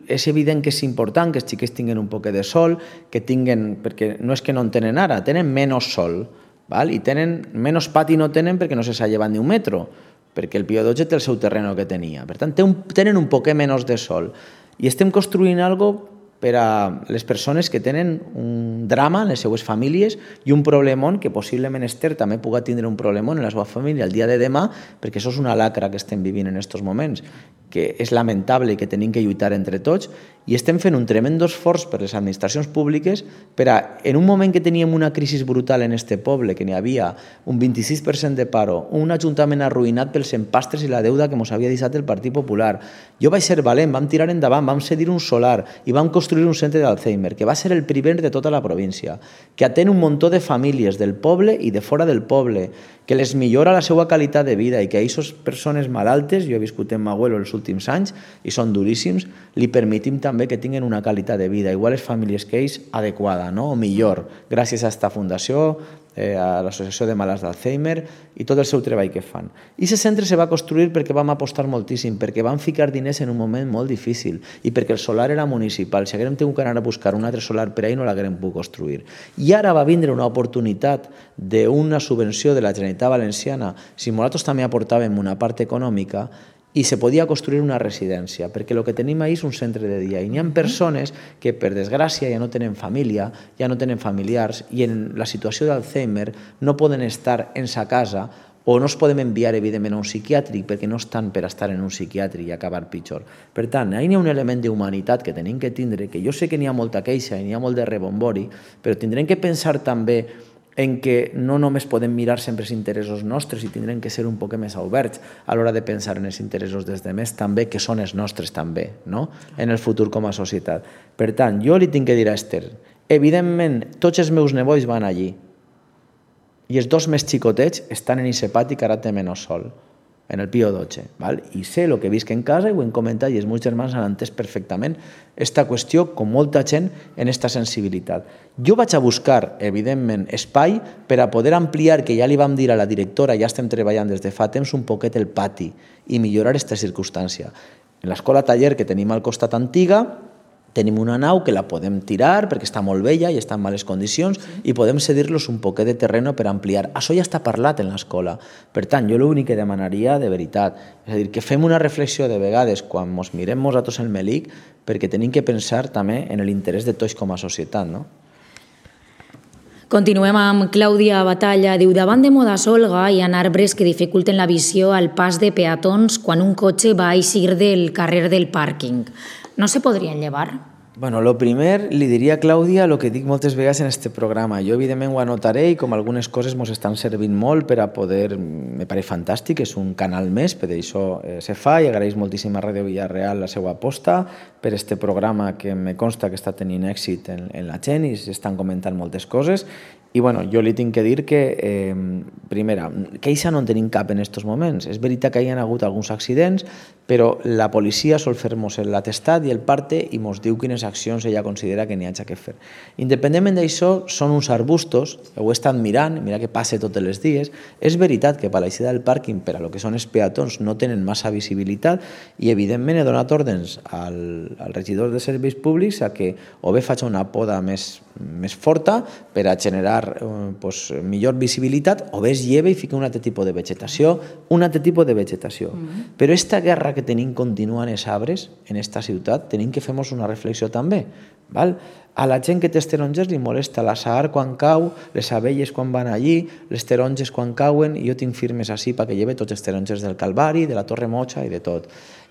és evident que és important que els xiquets tinguin un poc de sol, que tinguin, perquè no és que no en tenen ara, tenen menys sol, i tenen menys pati no tenen perquè no se s'ha llevat ni un metro, perquè el Pío XII té el seu terreno que tenia. Per tant, tenen un poc menys de sol. I estem construint algo per a les persones que tenen un drama en les seues famílies i un problemón que possiblement Esther també pugui tindre un problemón en la seva família el dia de demà, perquè això és una lacra que estem vivint en aquests moments, que és lamentable i que tenim que lluitar entre tots, i estem fent un tremendo esforç per les administracions públiques per a, en un moment que teníem una crisi brutal en este poble, que n'hi havia un 26% de paro, un ajuntament arruïnat pels empastres i la deuda que ens havia deixat el Partit Popular. Jo vaig ser valent, vam tirar endavant, vam cedir un solar i vam construir un centre d'Alzheimer, que va ser el primer de tota la província, que atén un muntó de famílies del poble i de fora del poble, que les millora la seva qualitat de vida i que a aquestes persones malaltes, jo he viscut en Magüelo els últims anys i són duríssims, li permetim també que tinguin una qualitat de vida, igual les famílies que ells, adequada, no? O millor, gràcies a aquesta fundació, a l'Associació de Malalts d'Alzheimer i tot el seu treball que fan. I aquest centre se va construir perquè vam apostar moltíssim, perquè vam ficar diners en un moment molt difícil i perquè el solar era municipal. Si haguérem tingut que anar a buscar un altre solar per ahir no l'haguérem pogut construir. I ara va vindre una oportunitat d'una subvenció de la Generalitat Valenciana, si nosaltres també aportàvem una part econòmica, i se podia construir una residència, perquè el que tenim ahir és un centre de dia. I n'hi ha persones que, per desgràcia, ja no tenen família, ja no tenen familiars, i en la situació d'Alzheimer no poden estar en sa casa o no es poden enviar, evidentment, a un psiquiàtric perquè no estan per estar en un psiquiàtric i acabar pitjor. Per tant, ahir n'hi ha un element d'humanitat que tenim que tindre, que jo sé que n'hi ha molta queixa i n'hi ha molt de rebombori, però tindrem que pensar també en que no només podem mirar sempre els interessos nostres i tindrem que ser un poc més oberts a l'hora de pensar en els interessos dels demés també, que són els nostres també, no? En el futur com a societat. Per tant, jo li tinc que dir a Esther, evidentment, tots els meus nebois van allí i els dos més xicotets estan en aquest pati que ara té menys sol, en el Pío XII, val? I sé el que visc en casa i ho hem comentat i els meus germans han entès perfectament aquesta qüestió com molta gent en aquesta sensibilitat. Jo vaig a buscar, evidentment, espai per a poder ampliar, que ja li vam dir a la directora, ja estem treballant des de fa temps un poquet el pati i millorar aquesta circumstància. En l'escola taller que tenim al costat antiga, tenim una nau que la podem tirar perquè està molt vella i està en males condicions i podem cedir-los un poquet de terreno per ampliar. Això ja està parlat en l'escola. Per tant, jo l'únic que demanaria de veritat, és a dir, que fem una reflexió de vegades quan ens mirem nosaltres el Melic, perquè tenim que pensar també en l'interès de tots com a societat, no? Continuem amb Clàudia Batalla. Diu, davant de Moda Solga hi ha arbres que dificulten la visió al pas de peatons quan un cotxe va eixir del carrer del pàrquing. No se podrien llevar? Bueno, lo primer li diria a Clàudia el que dic moltes vegades en este programa. Jo, evidentment, ho anotaré i com algunes coses ens estan servint molt per a poder... Me pareix fantàstic, és un canal més, per això se fa i agraeix moltíssim a Ràdio Villarreal la seva aposta per este programa que me consta que està tenint èxit en la gent i s'estan comentant moltes coses. I bueno, jo li tinc que dir que, primera, queixa no en tenim cap en aquests moments. És veritat que hi ha hagut alguns accidents, però la policia sol fer-nos l'atestat i el parte i ens diu quines accions ella considera que n'hi ha que fer. Independentment d'això, són uns arbustos, ho he estat mirant, mira que passa tots els dies. És veritat que per l'eixida del pàrquing, per a lo que són els peatons, no tenen massa visibilitat i, evidentment, he donat ordres al regidor de serveis públics a que o bé faig una poda més forta per a generar millor visibilitat o bé es lleva i fica un altre tipus de vegetació, Però aquesta guerra que tenim continuant els arbres en aquesta ciutat, tenim que fer-nos una reflexió també. A la gent que té els taronges li molesta la saar quan cau, les abelles quan van allí, les taronges quan cauen, i jo tinc firmes així perquè lleve tots els taronges del Calvari, de la Torre Mocha i de tot.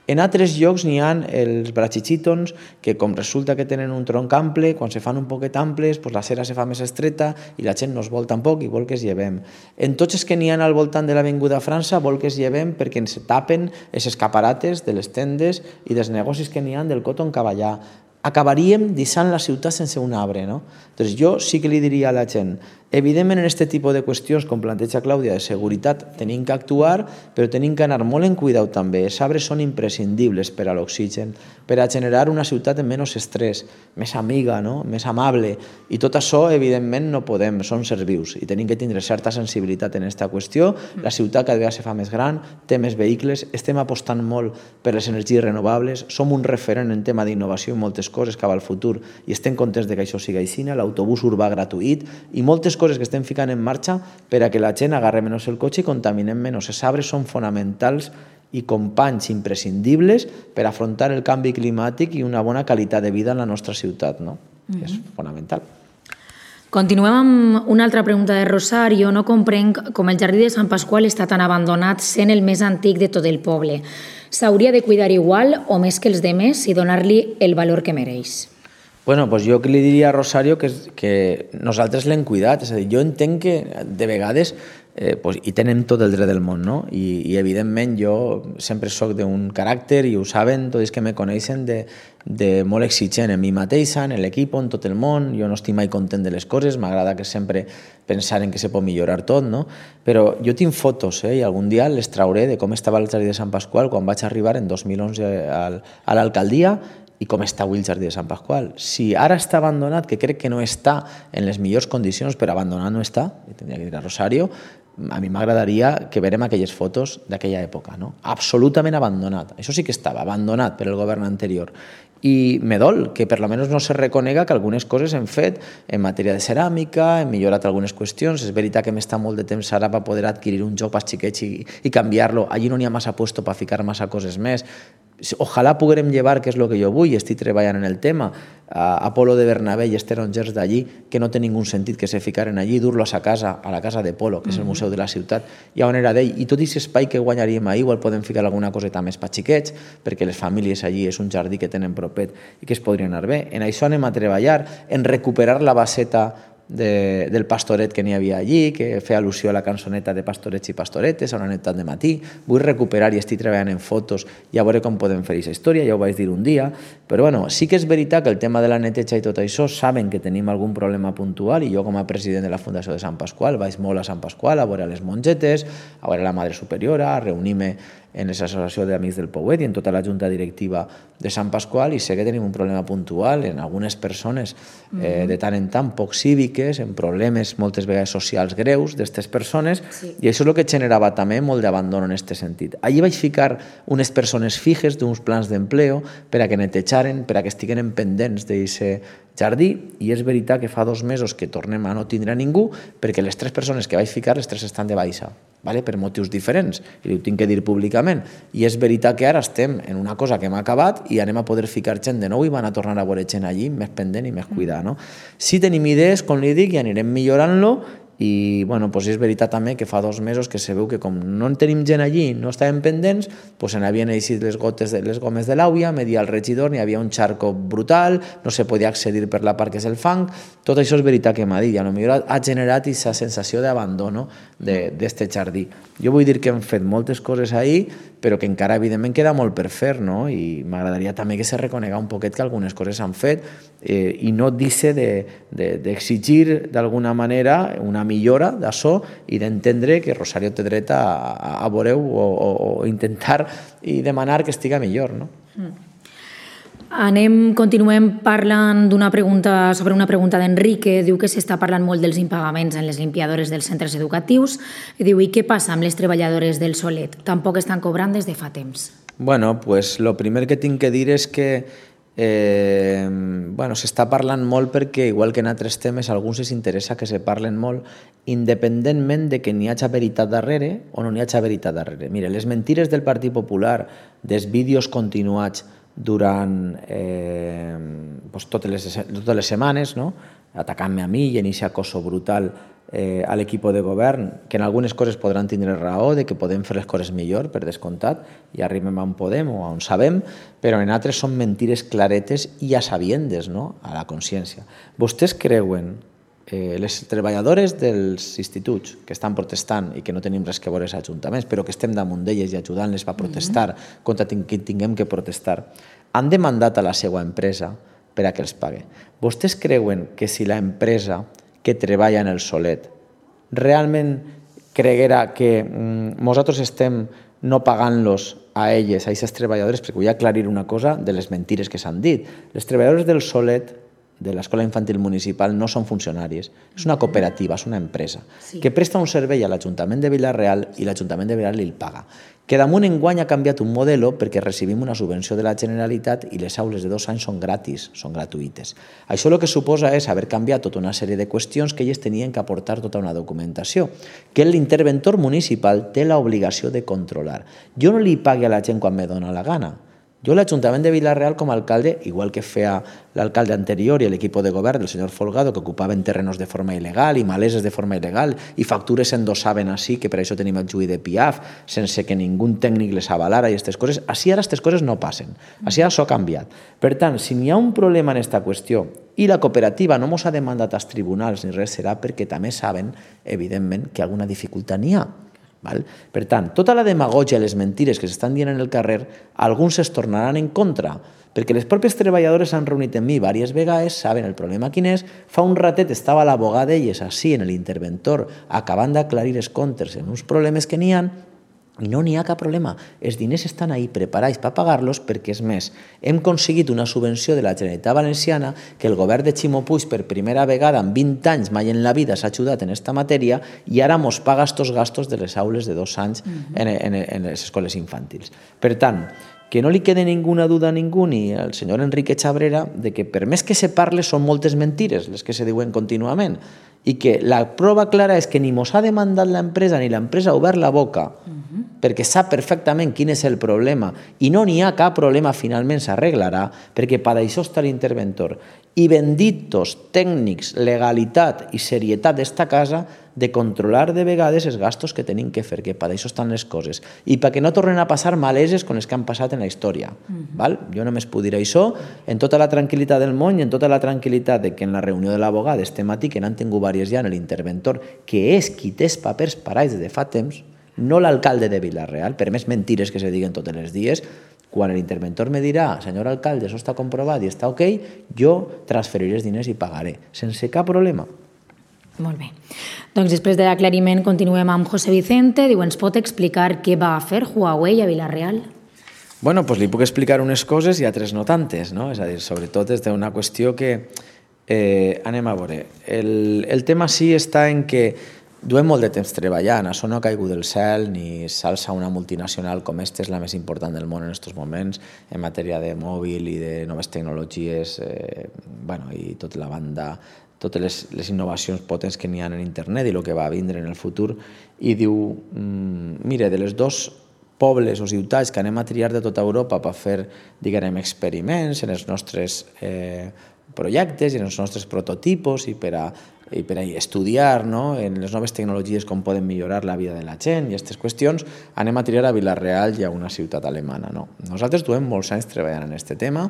En altres llocs n'hi ha els brachichítons que, com resulta que tenen un tronc ample, quan se fan un poquet amples, la cera se fa més estreta i la gent no es vol tampoc i vol que es llevem. En tots els que n'hi ha al voltant de l'Avinguda França vol que es llevem perquè ens tapen els escaparates de les tendes i dels negocis que n'hi ha del Cotton Cavallà. Acabaríem deixant la ciutat sense un arbre, no? Doncs jo sí que li diria a la gent, evidentment en aquest tipus de qüestions, com planteja Clàudia, de seguretat, tenim que actuar, però tenim que anar molt en cuidau també. Els arbres són imprescindibles per a l'oxigen, per a generar una ciutat amb menys estrès, més amiga, no? Més amable, i tot això, evidentment, no podem, són sers vius, i tenim que tindre certa sensibilitat en aquesta qüestió. La ciutat cada vegada se fa més gran, té més vehicles, estem apostant molt per les energies renovables, som un referent en tema d'innovació i moltes coses cap al futur i estem contents que això sigui així, l'autobús urbà gratuït i moltes coses que estem ficant en marxa per a que la gent agarre menys el cotxe i contaminem menys. Els arbres són fonamentals i companys imprescindibles per afrontar el canvi climàtic i una bona qualitat de vida en la nostra ciutat, no? És fonamental. Continuem amb una altra pregunta de Rosario. No comprenc com el jardí de Sant Pasqual està tan abandonat sent el més antic de tot el poble. S'hauria de cuidar igual o més que els demés i donar-li el valor que mereix? Bueno, doncs jo li diria a Rosario que nosaltres l'hem cuidat. És a dir, jo entenc que de vegades hi tenen tot el dret del món, no? I evidentment jo sempre soc d'un caràcter, i ho saben tots els que me coneixen, de molt exigent en mi mateixa, en l'equip, en tot el món. Jo no estic mai content de les coses, m'agrada que sempre pensar en que se pot millorar tot, no? Però jo tinc fotos, i algun dia les trauré de com estava el jardí de Sant Pasqual quan vaig arribar en 2011 a l'alcaldia i com està avui el jardí de Sant Pasqual. Si ara està abandonat, que crec que no està en les millors condicions, però abandonat no està, i tindria que dir a Rosario, a mi m'agradaria que verem aquelles fotos d'aquella època, no? Absolutament abandonat. Això sí que estava abandonat per el govern anterior. I me dol que per almenys no se reconega que algunes coses hem fet en matèria de ceràmica, hem millorat algunes qüestions. És veritat que m'està molt de temps ara per poder adquirir un joc per xiquets i canviar-lo. Allí no n'hi ha massa puesto per ficar massa coses més. Ojalà poguérem llevar, que és el que jo vull, i estic treballant en el tema, a Polo de Bernabé i els tarongers d'allí, que no té ningú sentit que se ficaren allí, dur-los a la casa de Polo, que és el museu de la ciutat, i on era d'ell, i tot aquest espai que guanyaríem ahir igual podem ficar alguna coseta més per xiquets, perquè les famílies allí és un jardí que tenen propet i que es podria anar bé. En això anem a treballar, en recuperar la baseta del pastoret que n'hi havia allí, que feia al·lusió a la cançoneta de pastorets i pastoretes, a una nit de matí. Vull recuperar i estic treballant en fotos i a veure com podem fer aquesta història, ja ho vaig dir un dia, però bueno, sí que és veritat que el tema de la neteja i tot això saben que tenim algun problema puntual, i jo com a president de la Fundació de Sant Pasqual vaig molt a Sant Pasqual a veure les mongetes, a veure la Madre Superiora, a reunir-me en l'Associació d'Amics del Pouet i en tota la junta directiva de Sant Pasqual, i sé que tenim un problema puntual en algunes persones de tant en tant poc cíviques, en problemes moltes vegades socials greus d'aquestes persones, i això és el que generava també molt d'abandono en aquest sentit. Allí vaig ficar unes persones fixes d'uns plans d'empleo per a que netejaren, per a que estiguen pendents d'aquest jardí, i és veritat que fa 2 mesos que tornem a no tindre ningú, perquè les 3 persones que vaig ficar, les 3 estan de baixa, per motius diferents, i ho tinc que dir públicament. I és veritat que ara estem en una cosa que hem acabat i anem a poder ficar gent de nou i van a tornar a veure gent allí més pendent i més cuidar, no? Sí tenim idees, com li dic, i anirem millorant-lo. I bueno, és veritat també que fa 2 mesos que se veu que com no en tenim gent allí, no estàvem pendents, se n'havien eixit les gomes de l'àuia, me dia el regidor, n'hi havia un xarco brutal, no se podia accedir per la part que és el fang. Tot això és veritat que m'ha dit, i potser ha generat aquesta sensació d'abandono d'aquest jardí. Jo vull dir que hem fet moltes coses ahir, però que encara evidentment queda molt per fer, no? I m'agradaria també que se reconega un poquet que algunes coses s'han fet i no deixe d'exigir d'alguna manera una millora d'això i d'entendre que Rosario té dret a veure-ho o intentar i demanar que estiga millor, no? Continuem parlant sobre una pregunta d'Enrique. Diu que s'està parlant molt dels impagaments en les limpiadores dels centres educatius. Diu, i què passa amb les treballadores del Solet? Tampoc estan cobrant des de fa temps. Bueno, pues lo primer que tinc que dir és que s'està parlant molt perquè, igual que en altres temes, a alguns els interessa que se parlen molt, independentment de que n'hi hagi veritat darrere o no n'hi hagi veritat darrere. Mira, les mentires del Partit Popular, dels vídeos continuats durant totes les setmanes, no? Atacant-me a mi i en aquest acoso brutal a l'equip de govern, que en algunes coses podran tindre raó de que podem fer les coses millor, per descomptat, i arribem on podem o on sabem, però en altres són mentires claretes i a sabiendes, no? A la consciència. Vostès creuen les treballadores dels instituts que estan protestant i que no tenim res que veure als ajuntaments, però que estem damunt d'elles i ajudant-les a protestar contra qui tinguem que protestar, han demandat a la seva empresa per a que els pague. Vostès creuen que si la empresa que treballa en el Solet realment creguera que nosaltres estem no pagant-los a elles, a aquestes treballadores, perquè vull aclarir una cosa de les mentires que s'han dit. Les treballadores del Solet de l'Escola Infantil Municipal no són funcionaris, és una cooperativa, és una empresa, que presta un servei a l'Ajuntament de Vila-real i l'Ajuntament de Vila-real el paga. Que damunt enguany ha canviat un model perquè recibim una subvenció de la Generalitat i les aules de 2 anys són gratis, són gratuïtes. Això el que suposa és haver canviat tota una sèrie de qüestions que ells tenien que aportar tota una documentació, que l'interventor municipal té l'obligació de controlar. Jo no li pagui a la gent quan me dóna la gana. Jo l'Ajuntament de Vila-real com a alcalde, igual que feia l'alcalde anterior i l'equip de govern del senyor Folgado, que ocupaven terrenos de forma il·legal i maleses de forma il·legal i factures s'endossaven així, que per això tenim el juí de Piaf, sense que ningú tècnic les avalara i aquestes coses. Així ara aquestes coses no passen. Així ara s'ha canviat. Per tant, si n'hi ha un problema en aquesta qüestió i la cooperativa no mos ha demandat als tribunals ni res, serà perquè també saben, evidentment, que alguna dificultat n'hi ha. Per tant, tota la demagògia i les mentires que s'estan dient en el carrer, alguns es tornaran en contra, perquè les pròpies treballadores s'han reunit amb mi diverses vegades, saben el problema quin és. Fa un ratet estava l'abogada d'elles així en l'interventor, acabant d'aclarir els comptes en uns problemes que n'hi ha, i no n'hi ha cap problema. Els diners estan ahí preparats per pagar-los perquè, és més, hem aconseguit una subvenció de la Generalitat Valenciana que el govern de Ximo Puig per primera vegada en 20 anys mai en la vida s'ha ajudat en aquesta matèria i ara mos paga estos gastos de les aules de 2 anys en les escoles infantils. Per tant, que no li quede ninguna duda a ningú ni al senyor Enrique Chabrera de que per més que se parle són moltes mentires les que se diuen contínuament i que la prova clara és que ni mos ha demandat l'empresa ni l'empresa ha obert la boca perquè sap perfectament quin és el problema i no n'hi ha cap problema, finalment s'arreglarà perquè per això està l'interventor. I benditos tècnics, legalitat i serietat d'esta casa de controlar de vegades els gastos que tenim que fer, que per això estan les coses i perquè no tornen a passar maleses com les que han passat en la història. Jo només puc dir això en tota la tranquil·litat del món i en tota la tranquil·litat que en la reunió de l'abogat este matí, que n'han tingut diverses ja en l'interventor, que és qui té els papers parats de fa temps, no l'alcalde de Vila-real, per més mentires que se diguen tots els dies, quan l'interventor me dirà, senyor alcalde, això està comprovat i està ok, jo transferiré els diners i pagaré, sense cap problema. Molt bé. Doncs després de l'aclariment continuem amb José Vicente. Diu, ens pot explicar què va fer Huawei a Vila-real? Bueno, doncs li puc explicar unes coses i altres no tantes, no? És a dir, sobretot és d'una qüestió que anem a veure. El tema sí està en que duem molt de temps treballant, això no ha caigut del cel ni s'alça una multinacional com aquesta, és la més important del món en aquests moments en matèria de mòbil i de noves tecnologies i tota la banda, totes les innovacions potents que n'hi ha en internet i el que va vindre en el futur, i diu, mira, de les dos pobles o ciutats que anem a triar de tota Europa per fer, diguem, experiments en els nostres projectes i en els nostres prototipos i per a estudiar en les noves tecnologies com poden millorar la vida de la gent i aquestes qüestions, anem a triar a Vila-real i a una ciutat alemana. Nosaltres duem molts anys treballant en aquest tema,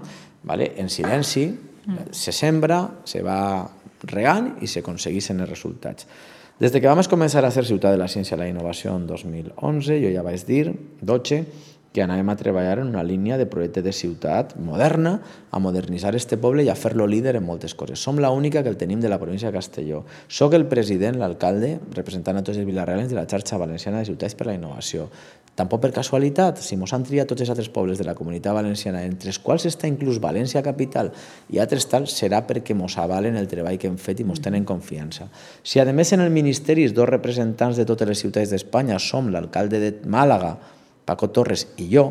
en silenci, se sembra, se va regant i s'aconsegueixen els resultats. Des que vam començar a ser Ciutat de la Ciència i la Innovació en 2011, jo ja vaig dir, 12, que anàvem a treballar en una línia de projecte de ciutat moderna, a modernitzar este poble i a fer-lo líder en moltes coses. Som l'única que el tenim de la província de Castelló. Soc el president, l'alcalde, representant a tots els vilarrealens de la xarxa valenciana de ciutats per la innovació. Tampoc per casualitat, si mos han triat tots els altres pobles de la comunitat valenciana, entre els quals està inclús València Capital i altres tals, serà perquè mos avalen el treball que hem fet i mos tenen confiança. Si a més en el Ministeri els dos representants de totes les ciutats d'Espanya som l'alcalde de Màlaga, Paco Torres i jo,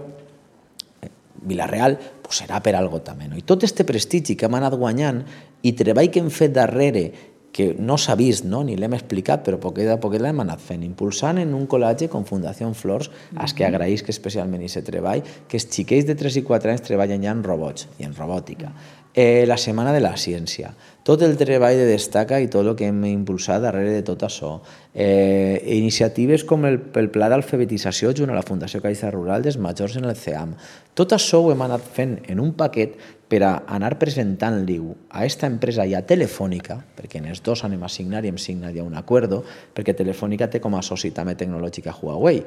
Vila-real, serà per algo també. I tot este prestigi que hem anat guanyant i treball que hem fet darrere, que no s'ha vist ni l'hem explicat, però poquet a poquet l'hem anat fent, impulsant en un col·legi com Fundació Flors, als que agraïsc especialment aquest treball, que els xiquets de 3 i 4 anys treballen ja en robots i en robòtica. La Setmana de la Ciència, tot el treball de Destaca i tot el que hem impulsat darrere de tot això, iniciatives com el Pla d'Alfabetització junt a la Fundació Caixa Rural dels majors en el CEAM. Tot això ho hem anat fent en un paquet per a anar presentant-li a aquesta empresa i a Telefònica, perquè en els dos anem a signar i hem signat ja un acord, perquè Telefònica té com a soci també tecnològic a Huawei,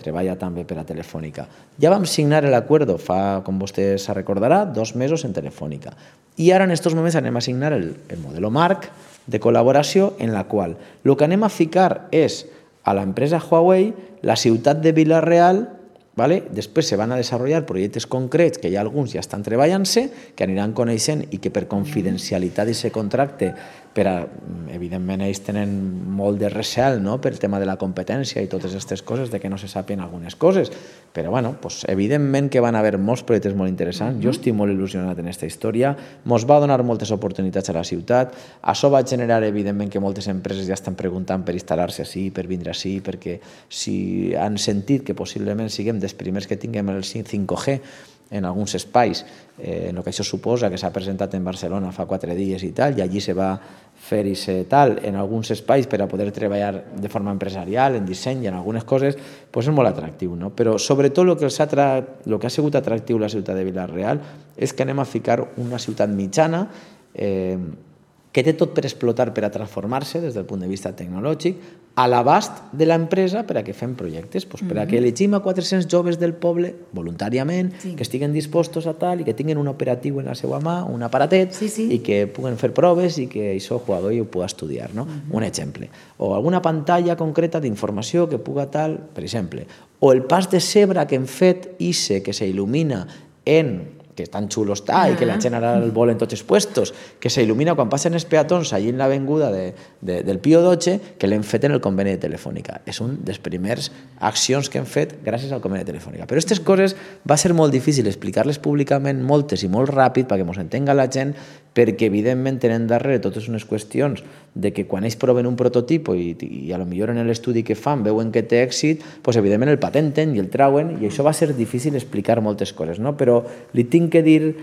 treballa també per a Telefònica. Ja vam signar l'acord fa, com vostè se recordarà, 2 mesos en Telefònica. I ara en aquests moments anem a signar el model marc de col·laboració en la qual el que anem a ficar és a l'empresa Huawei la ciutat de Vila-real ¿vale? Després se van a desenvolupar projectes concrets, que hi ha alguns ja estan treballant-se, que aniran coneixent i que per confidencialitat d'aquest contracte, evidentment ells tenen molt de recel, no?, per el tema de la competència i totes aquestes coses, de que no se sàpien algunes coses, però bueno, evidentment que van haver molts projectes molt interessants. Jo estic molt il·lusionat en aquesta història, mos va donar moltes oportunitats a la ciutat, això va generar evidentment que moltes empreses ja estan preguntant per instal·lar-se així, per vindre així, perquè si han sentit que possiblement siguem dels primers que tinguem el 5G en alguns espais, el que això suposa, que s'ha presentat en Barcelona fa 4 dies i tal, i allí se va fer i tal, en alguns espais per a poder treballar de forma empresarial, en disseny i en algunes coses, és molt atractiu, no? Però sobretot el que ha sigut atractiu a la ciutat de Vila-real és que anem a ficar una ciutat mitjana que té tot per explotar, per a transformar-se des del punt de vista tecnològic, a l'abast de l'empresa per a que fem projectes, per a que elegim a 400 joves del poble voluntàriament, que estiguen dispostos a tal i que tinguin un operatiu en la seva mà, un aparatet, i que puguen fer proves i que això el jugador ho pugui estudiar, no? Un exemple. O alguna pantalla concreta d'informació que puga tal, per exemple. O el pas de zebra que hem fet ICE, que s'il·lumina que tan xulo està i que la gent ara el vol en tots els puestos, que s'il·lumina quan passen els peatons allí en l'avinguda del Pío XII, que l'hem fet en el conveni de Telefònica. És una de les primeres accions que hem fet gràcies al conveni de Telefònica. Però aquestes coses va ser molt difícil explicar-les públicament moltes i molt ràpid perquè ens entenga la gent, perquè evidentment tenen darrere totes unes qüestions de que quan ells proven un prototip i a lo millor en l'estudi que fan veuen que té èxit, doncs evidentment el patenten i el trauen, i això va ser difícil explicar moltes coses, no? Però li tinc que dir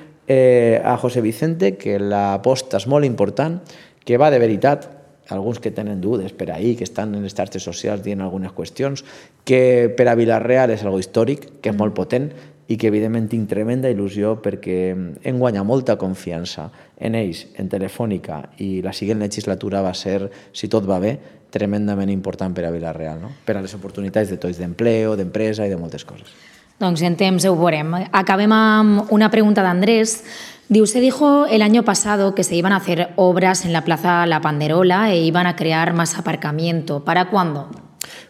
a José Vicente que l'aposta és molt important, que va de veritat, alguns que tenen dudes per ahir, que estan en les xarxes socials dient algunes qüestions, que per a Vila-real és algo històric, que és molt potent, i que evidentment tinc tremenda il·lusió perquè hem guanyat molta confiança en ells, en Telefònica, i la següent legislatura va ser, si tot va bé, tremendament important per a Vila-real, no? Per a les oportunitats de tots d'empleo, d'empresa i de moltes coses. Doncs en temps ho veurem. Acabem amb una pregunta d'Andrés. Diu, se dijo el año pasado que se iban a hacer obras en la Plaza La Panderola e iban a crear más aparcamiento. ¿Para cuándo?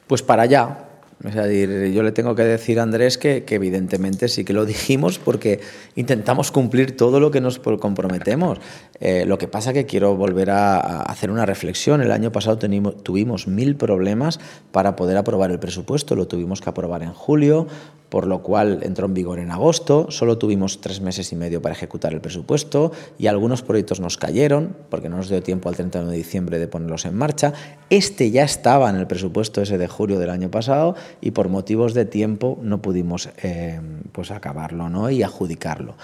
Pues para allá. Es decir, yo le tengo que decir a Andrés que evidentemente sí que lo dijimos porque intentamos cumplir todo lo que nos comprometemos. Lo que pasa que quiero volver a hacer una reflexión. El año pasado tuvimos 1000 problemas para poder aprobar el presupuesto. Lo tuvimos que aprobar en julio, por lo cual entró en vigor en agosto. Solo tuvimos 3 meses y medio para ejecutar el presupuesto y algunos proyectos nos cayeron porque no nos dio tiempo al 31 de diciembre de ponerlos en marcha. Este ya estaba en el presupuesto ese de julio del año pasado y por motivos de tiempo no pudimos acabarlo, ¿no? Y adjudicarlo.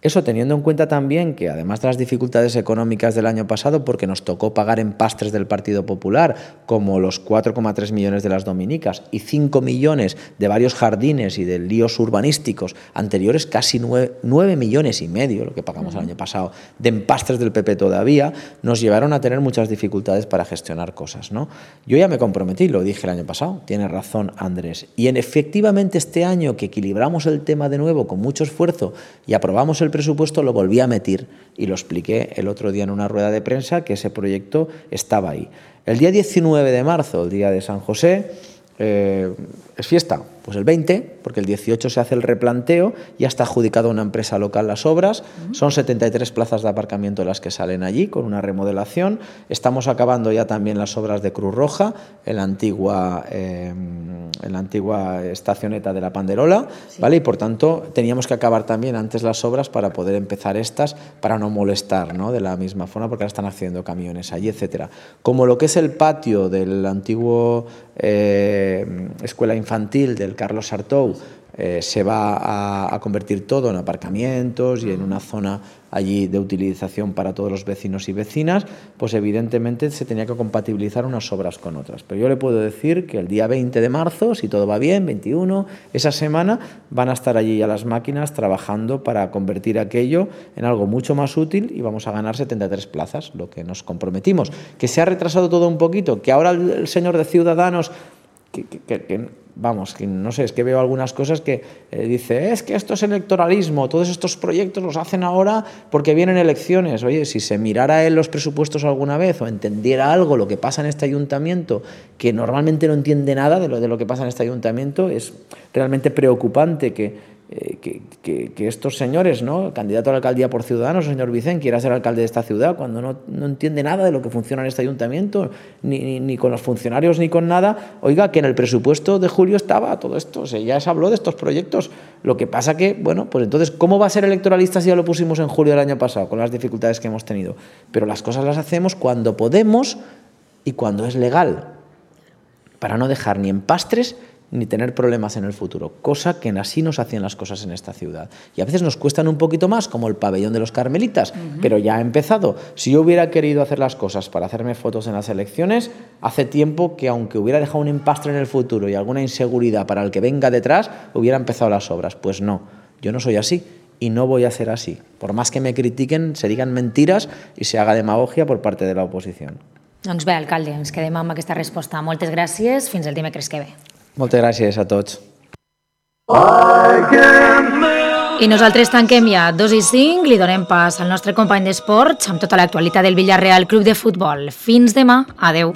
Eso teniendo en cuenta también que además de las dificultades económicas del año pasado, porque nos tocó pagar empastres del Partido Popular, como los 4,3 millones de las dominicas y 5 millones de varios jardines y de líos urbanísticos anteriores, casi 9 millones y medio, lo que pagamos el año pasado, de empastres del PP todavía, nos llevaron a tener muchas dificultades para gestionar cosas, ¿no? Yo ya me comprometí, lo dije el año pasado, tiene razón Andrés, y efectivamente este año que equilibramos el tema de nuevo con mucho esfuerzo y aprobamos el presupuesto, lo volví a meter y lo expliqué el otro día en una rueda de prensa que ese proyecto estaba ahí. El día 19 de marzo, el día de San José, es fiesta, pues el 20, porque el 18 se hace el replanteo, ya está adjudicado a una empresa local las obras, son 73 plazas de aparcamiento las que salen allí con una remodelación, estamos acabando ya también las obras de Cruz Roja en la antigua estacioneta de la Panderola, ¿vale? Y por tanto teníamos que acabar también antes las obras para poder empezar estas, para no molestar, ¿no? De la misma forma, porque ahora están haciendo camiones allí, etcétera. Como lo que es el patio del antiguo escuela infantil del Carlos Sartou, se va a convertir todo en aparcamientos y en una zona allí de utilización para todos los vecinos y vecinas, pues evidentemente se tenía que compatibilizar unas obras con otras. Pero yo le puedo decir que el día 20 de marzo, si todo va bien, 21, esa semana van a estar allí ya las máquinas trabajando para convertir aquello en algo mucho más útil y vamos a ganar 73 plazas, lo que nos comprometimos. Que se ha retrasado todo un poquito, que ahora el señor de Ciudadanos vamos, que no sé, es que veo algunas cosas que dice, es que esto es electoralismo, todos estos proyectos los hacen ahora porque vienen elecciones. Oye, si se mirara en los presupuestos alguna vez o entendiera algo lo que pasa en este ayuntamiento, que normalmente no entiende nada de lo que pasa en este ayuntamiento, es realmente preocupante que estos señores, ¿no? El candidato a la alcaldía por Ciudadanos, el señor Vicent, quiera ser alcalde de esta ciudad cuando no entiende nada de lo que funciona en este ayuntamiento, ni con los funcionarios ni con nada. Oiga, que en el presupuesto de julio estaba todo esto, o sea, ya se habló de estos proyectos. Lo que pasa que, bueno, pues entonces, ¿cómo va a ser electoralista si ya lo pusimos en julio del año pasado, con las dificultades que hemos tenido? Pero las cosas las hacemos cuando podemos y cuando es legal, para no dejar ni empastres ni tener problemas en el futuro, cosa que así nos hacían las cosas en esta ciudad. Y a veces nos cuestan un poquito más, como el pabellón de los Carmelitas, pero ya ha empezado. Si yo hubiera querido hacer las cosas para hacerme fotos en las elecciones, hace tiempo que, aunque hubiera dejado un empastre en el futuro y alguna inseguridad para el que venga detrás, hubiera empezado las obras. Pues no, yo no soy así y no voy a ser así. Por más que me critiquen, se digan mentiras y se haga demagogia por parte de la oposición. Doncs bé, alcalde, ens quedem amb aquesta resposta. Moltes gràcies, fins el dimecres que ve. Moltes gràcies a tots. I nosaltres tanquem ja 2:05, li donem pas al nostre company d'esports amb tota l'actualitat del Villarreal Club de Futbol. Fins demà, adeu.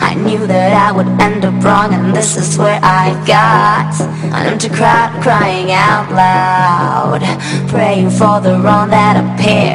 I knew that I would end up wrong, and this is where I got an empty crowd crying out loud, praying for the wrong that appeared.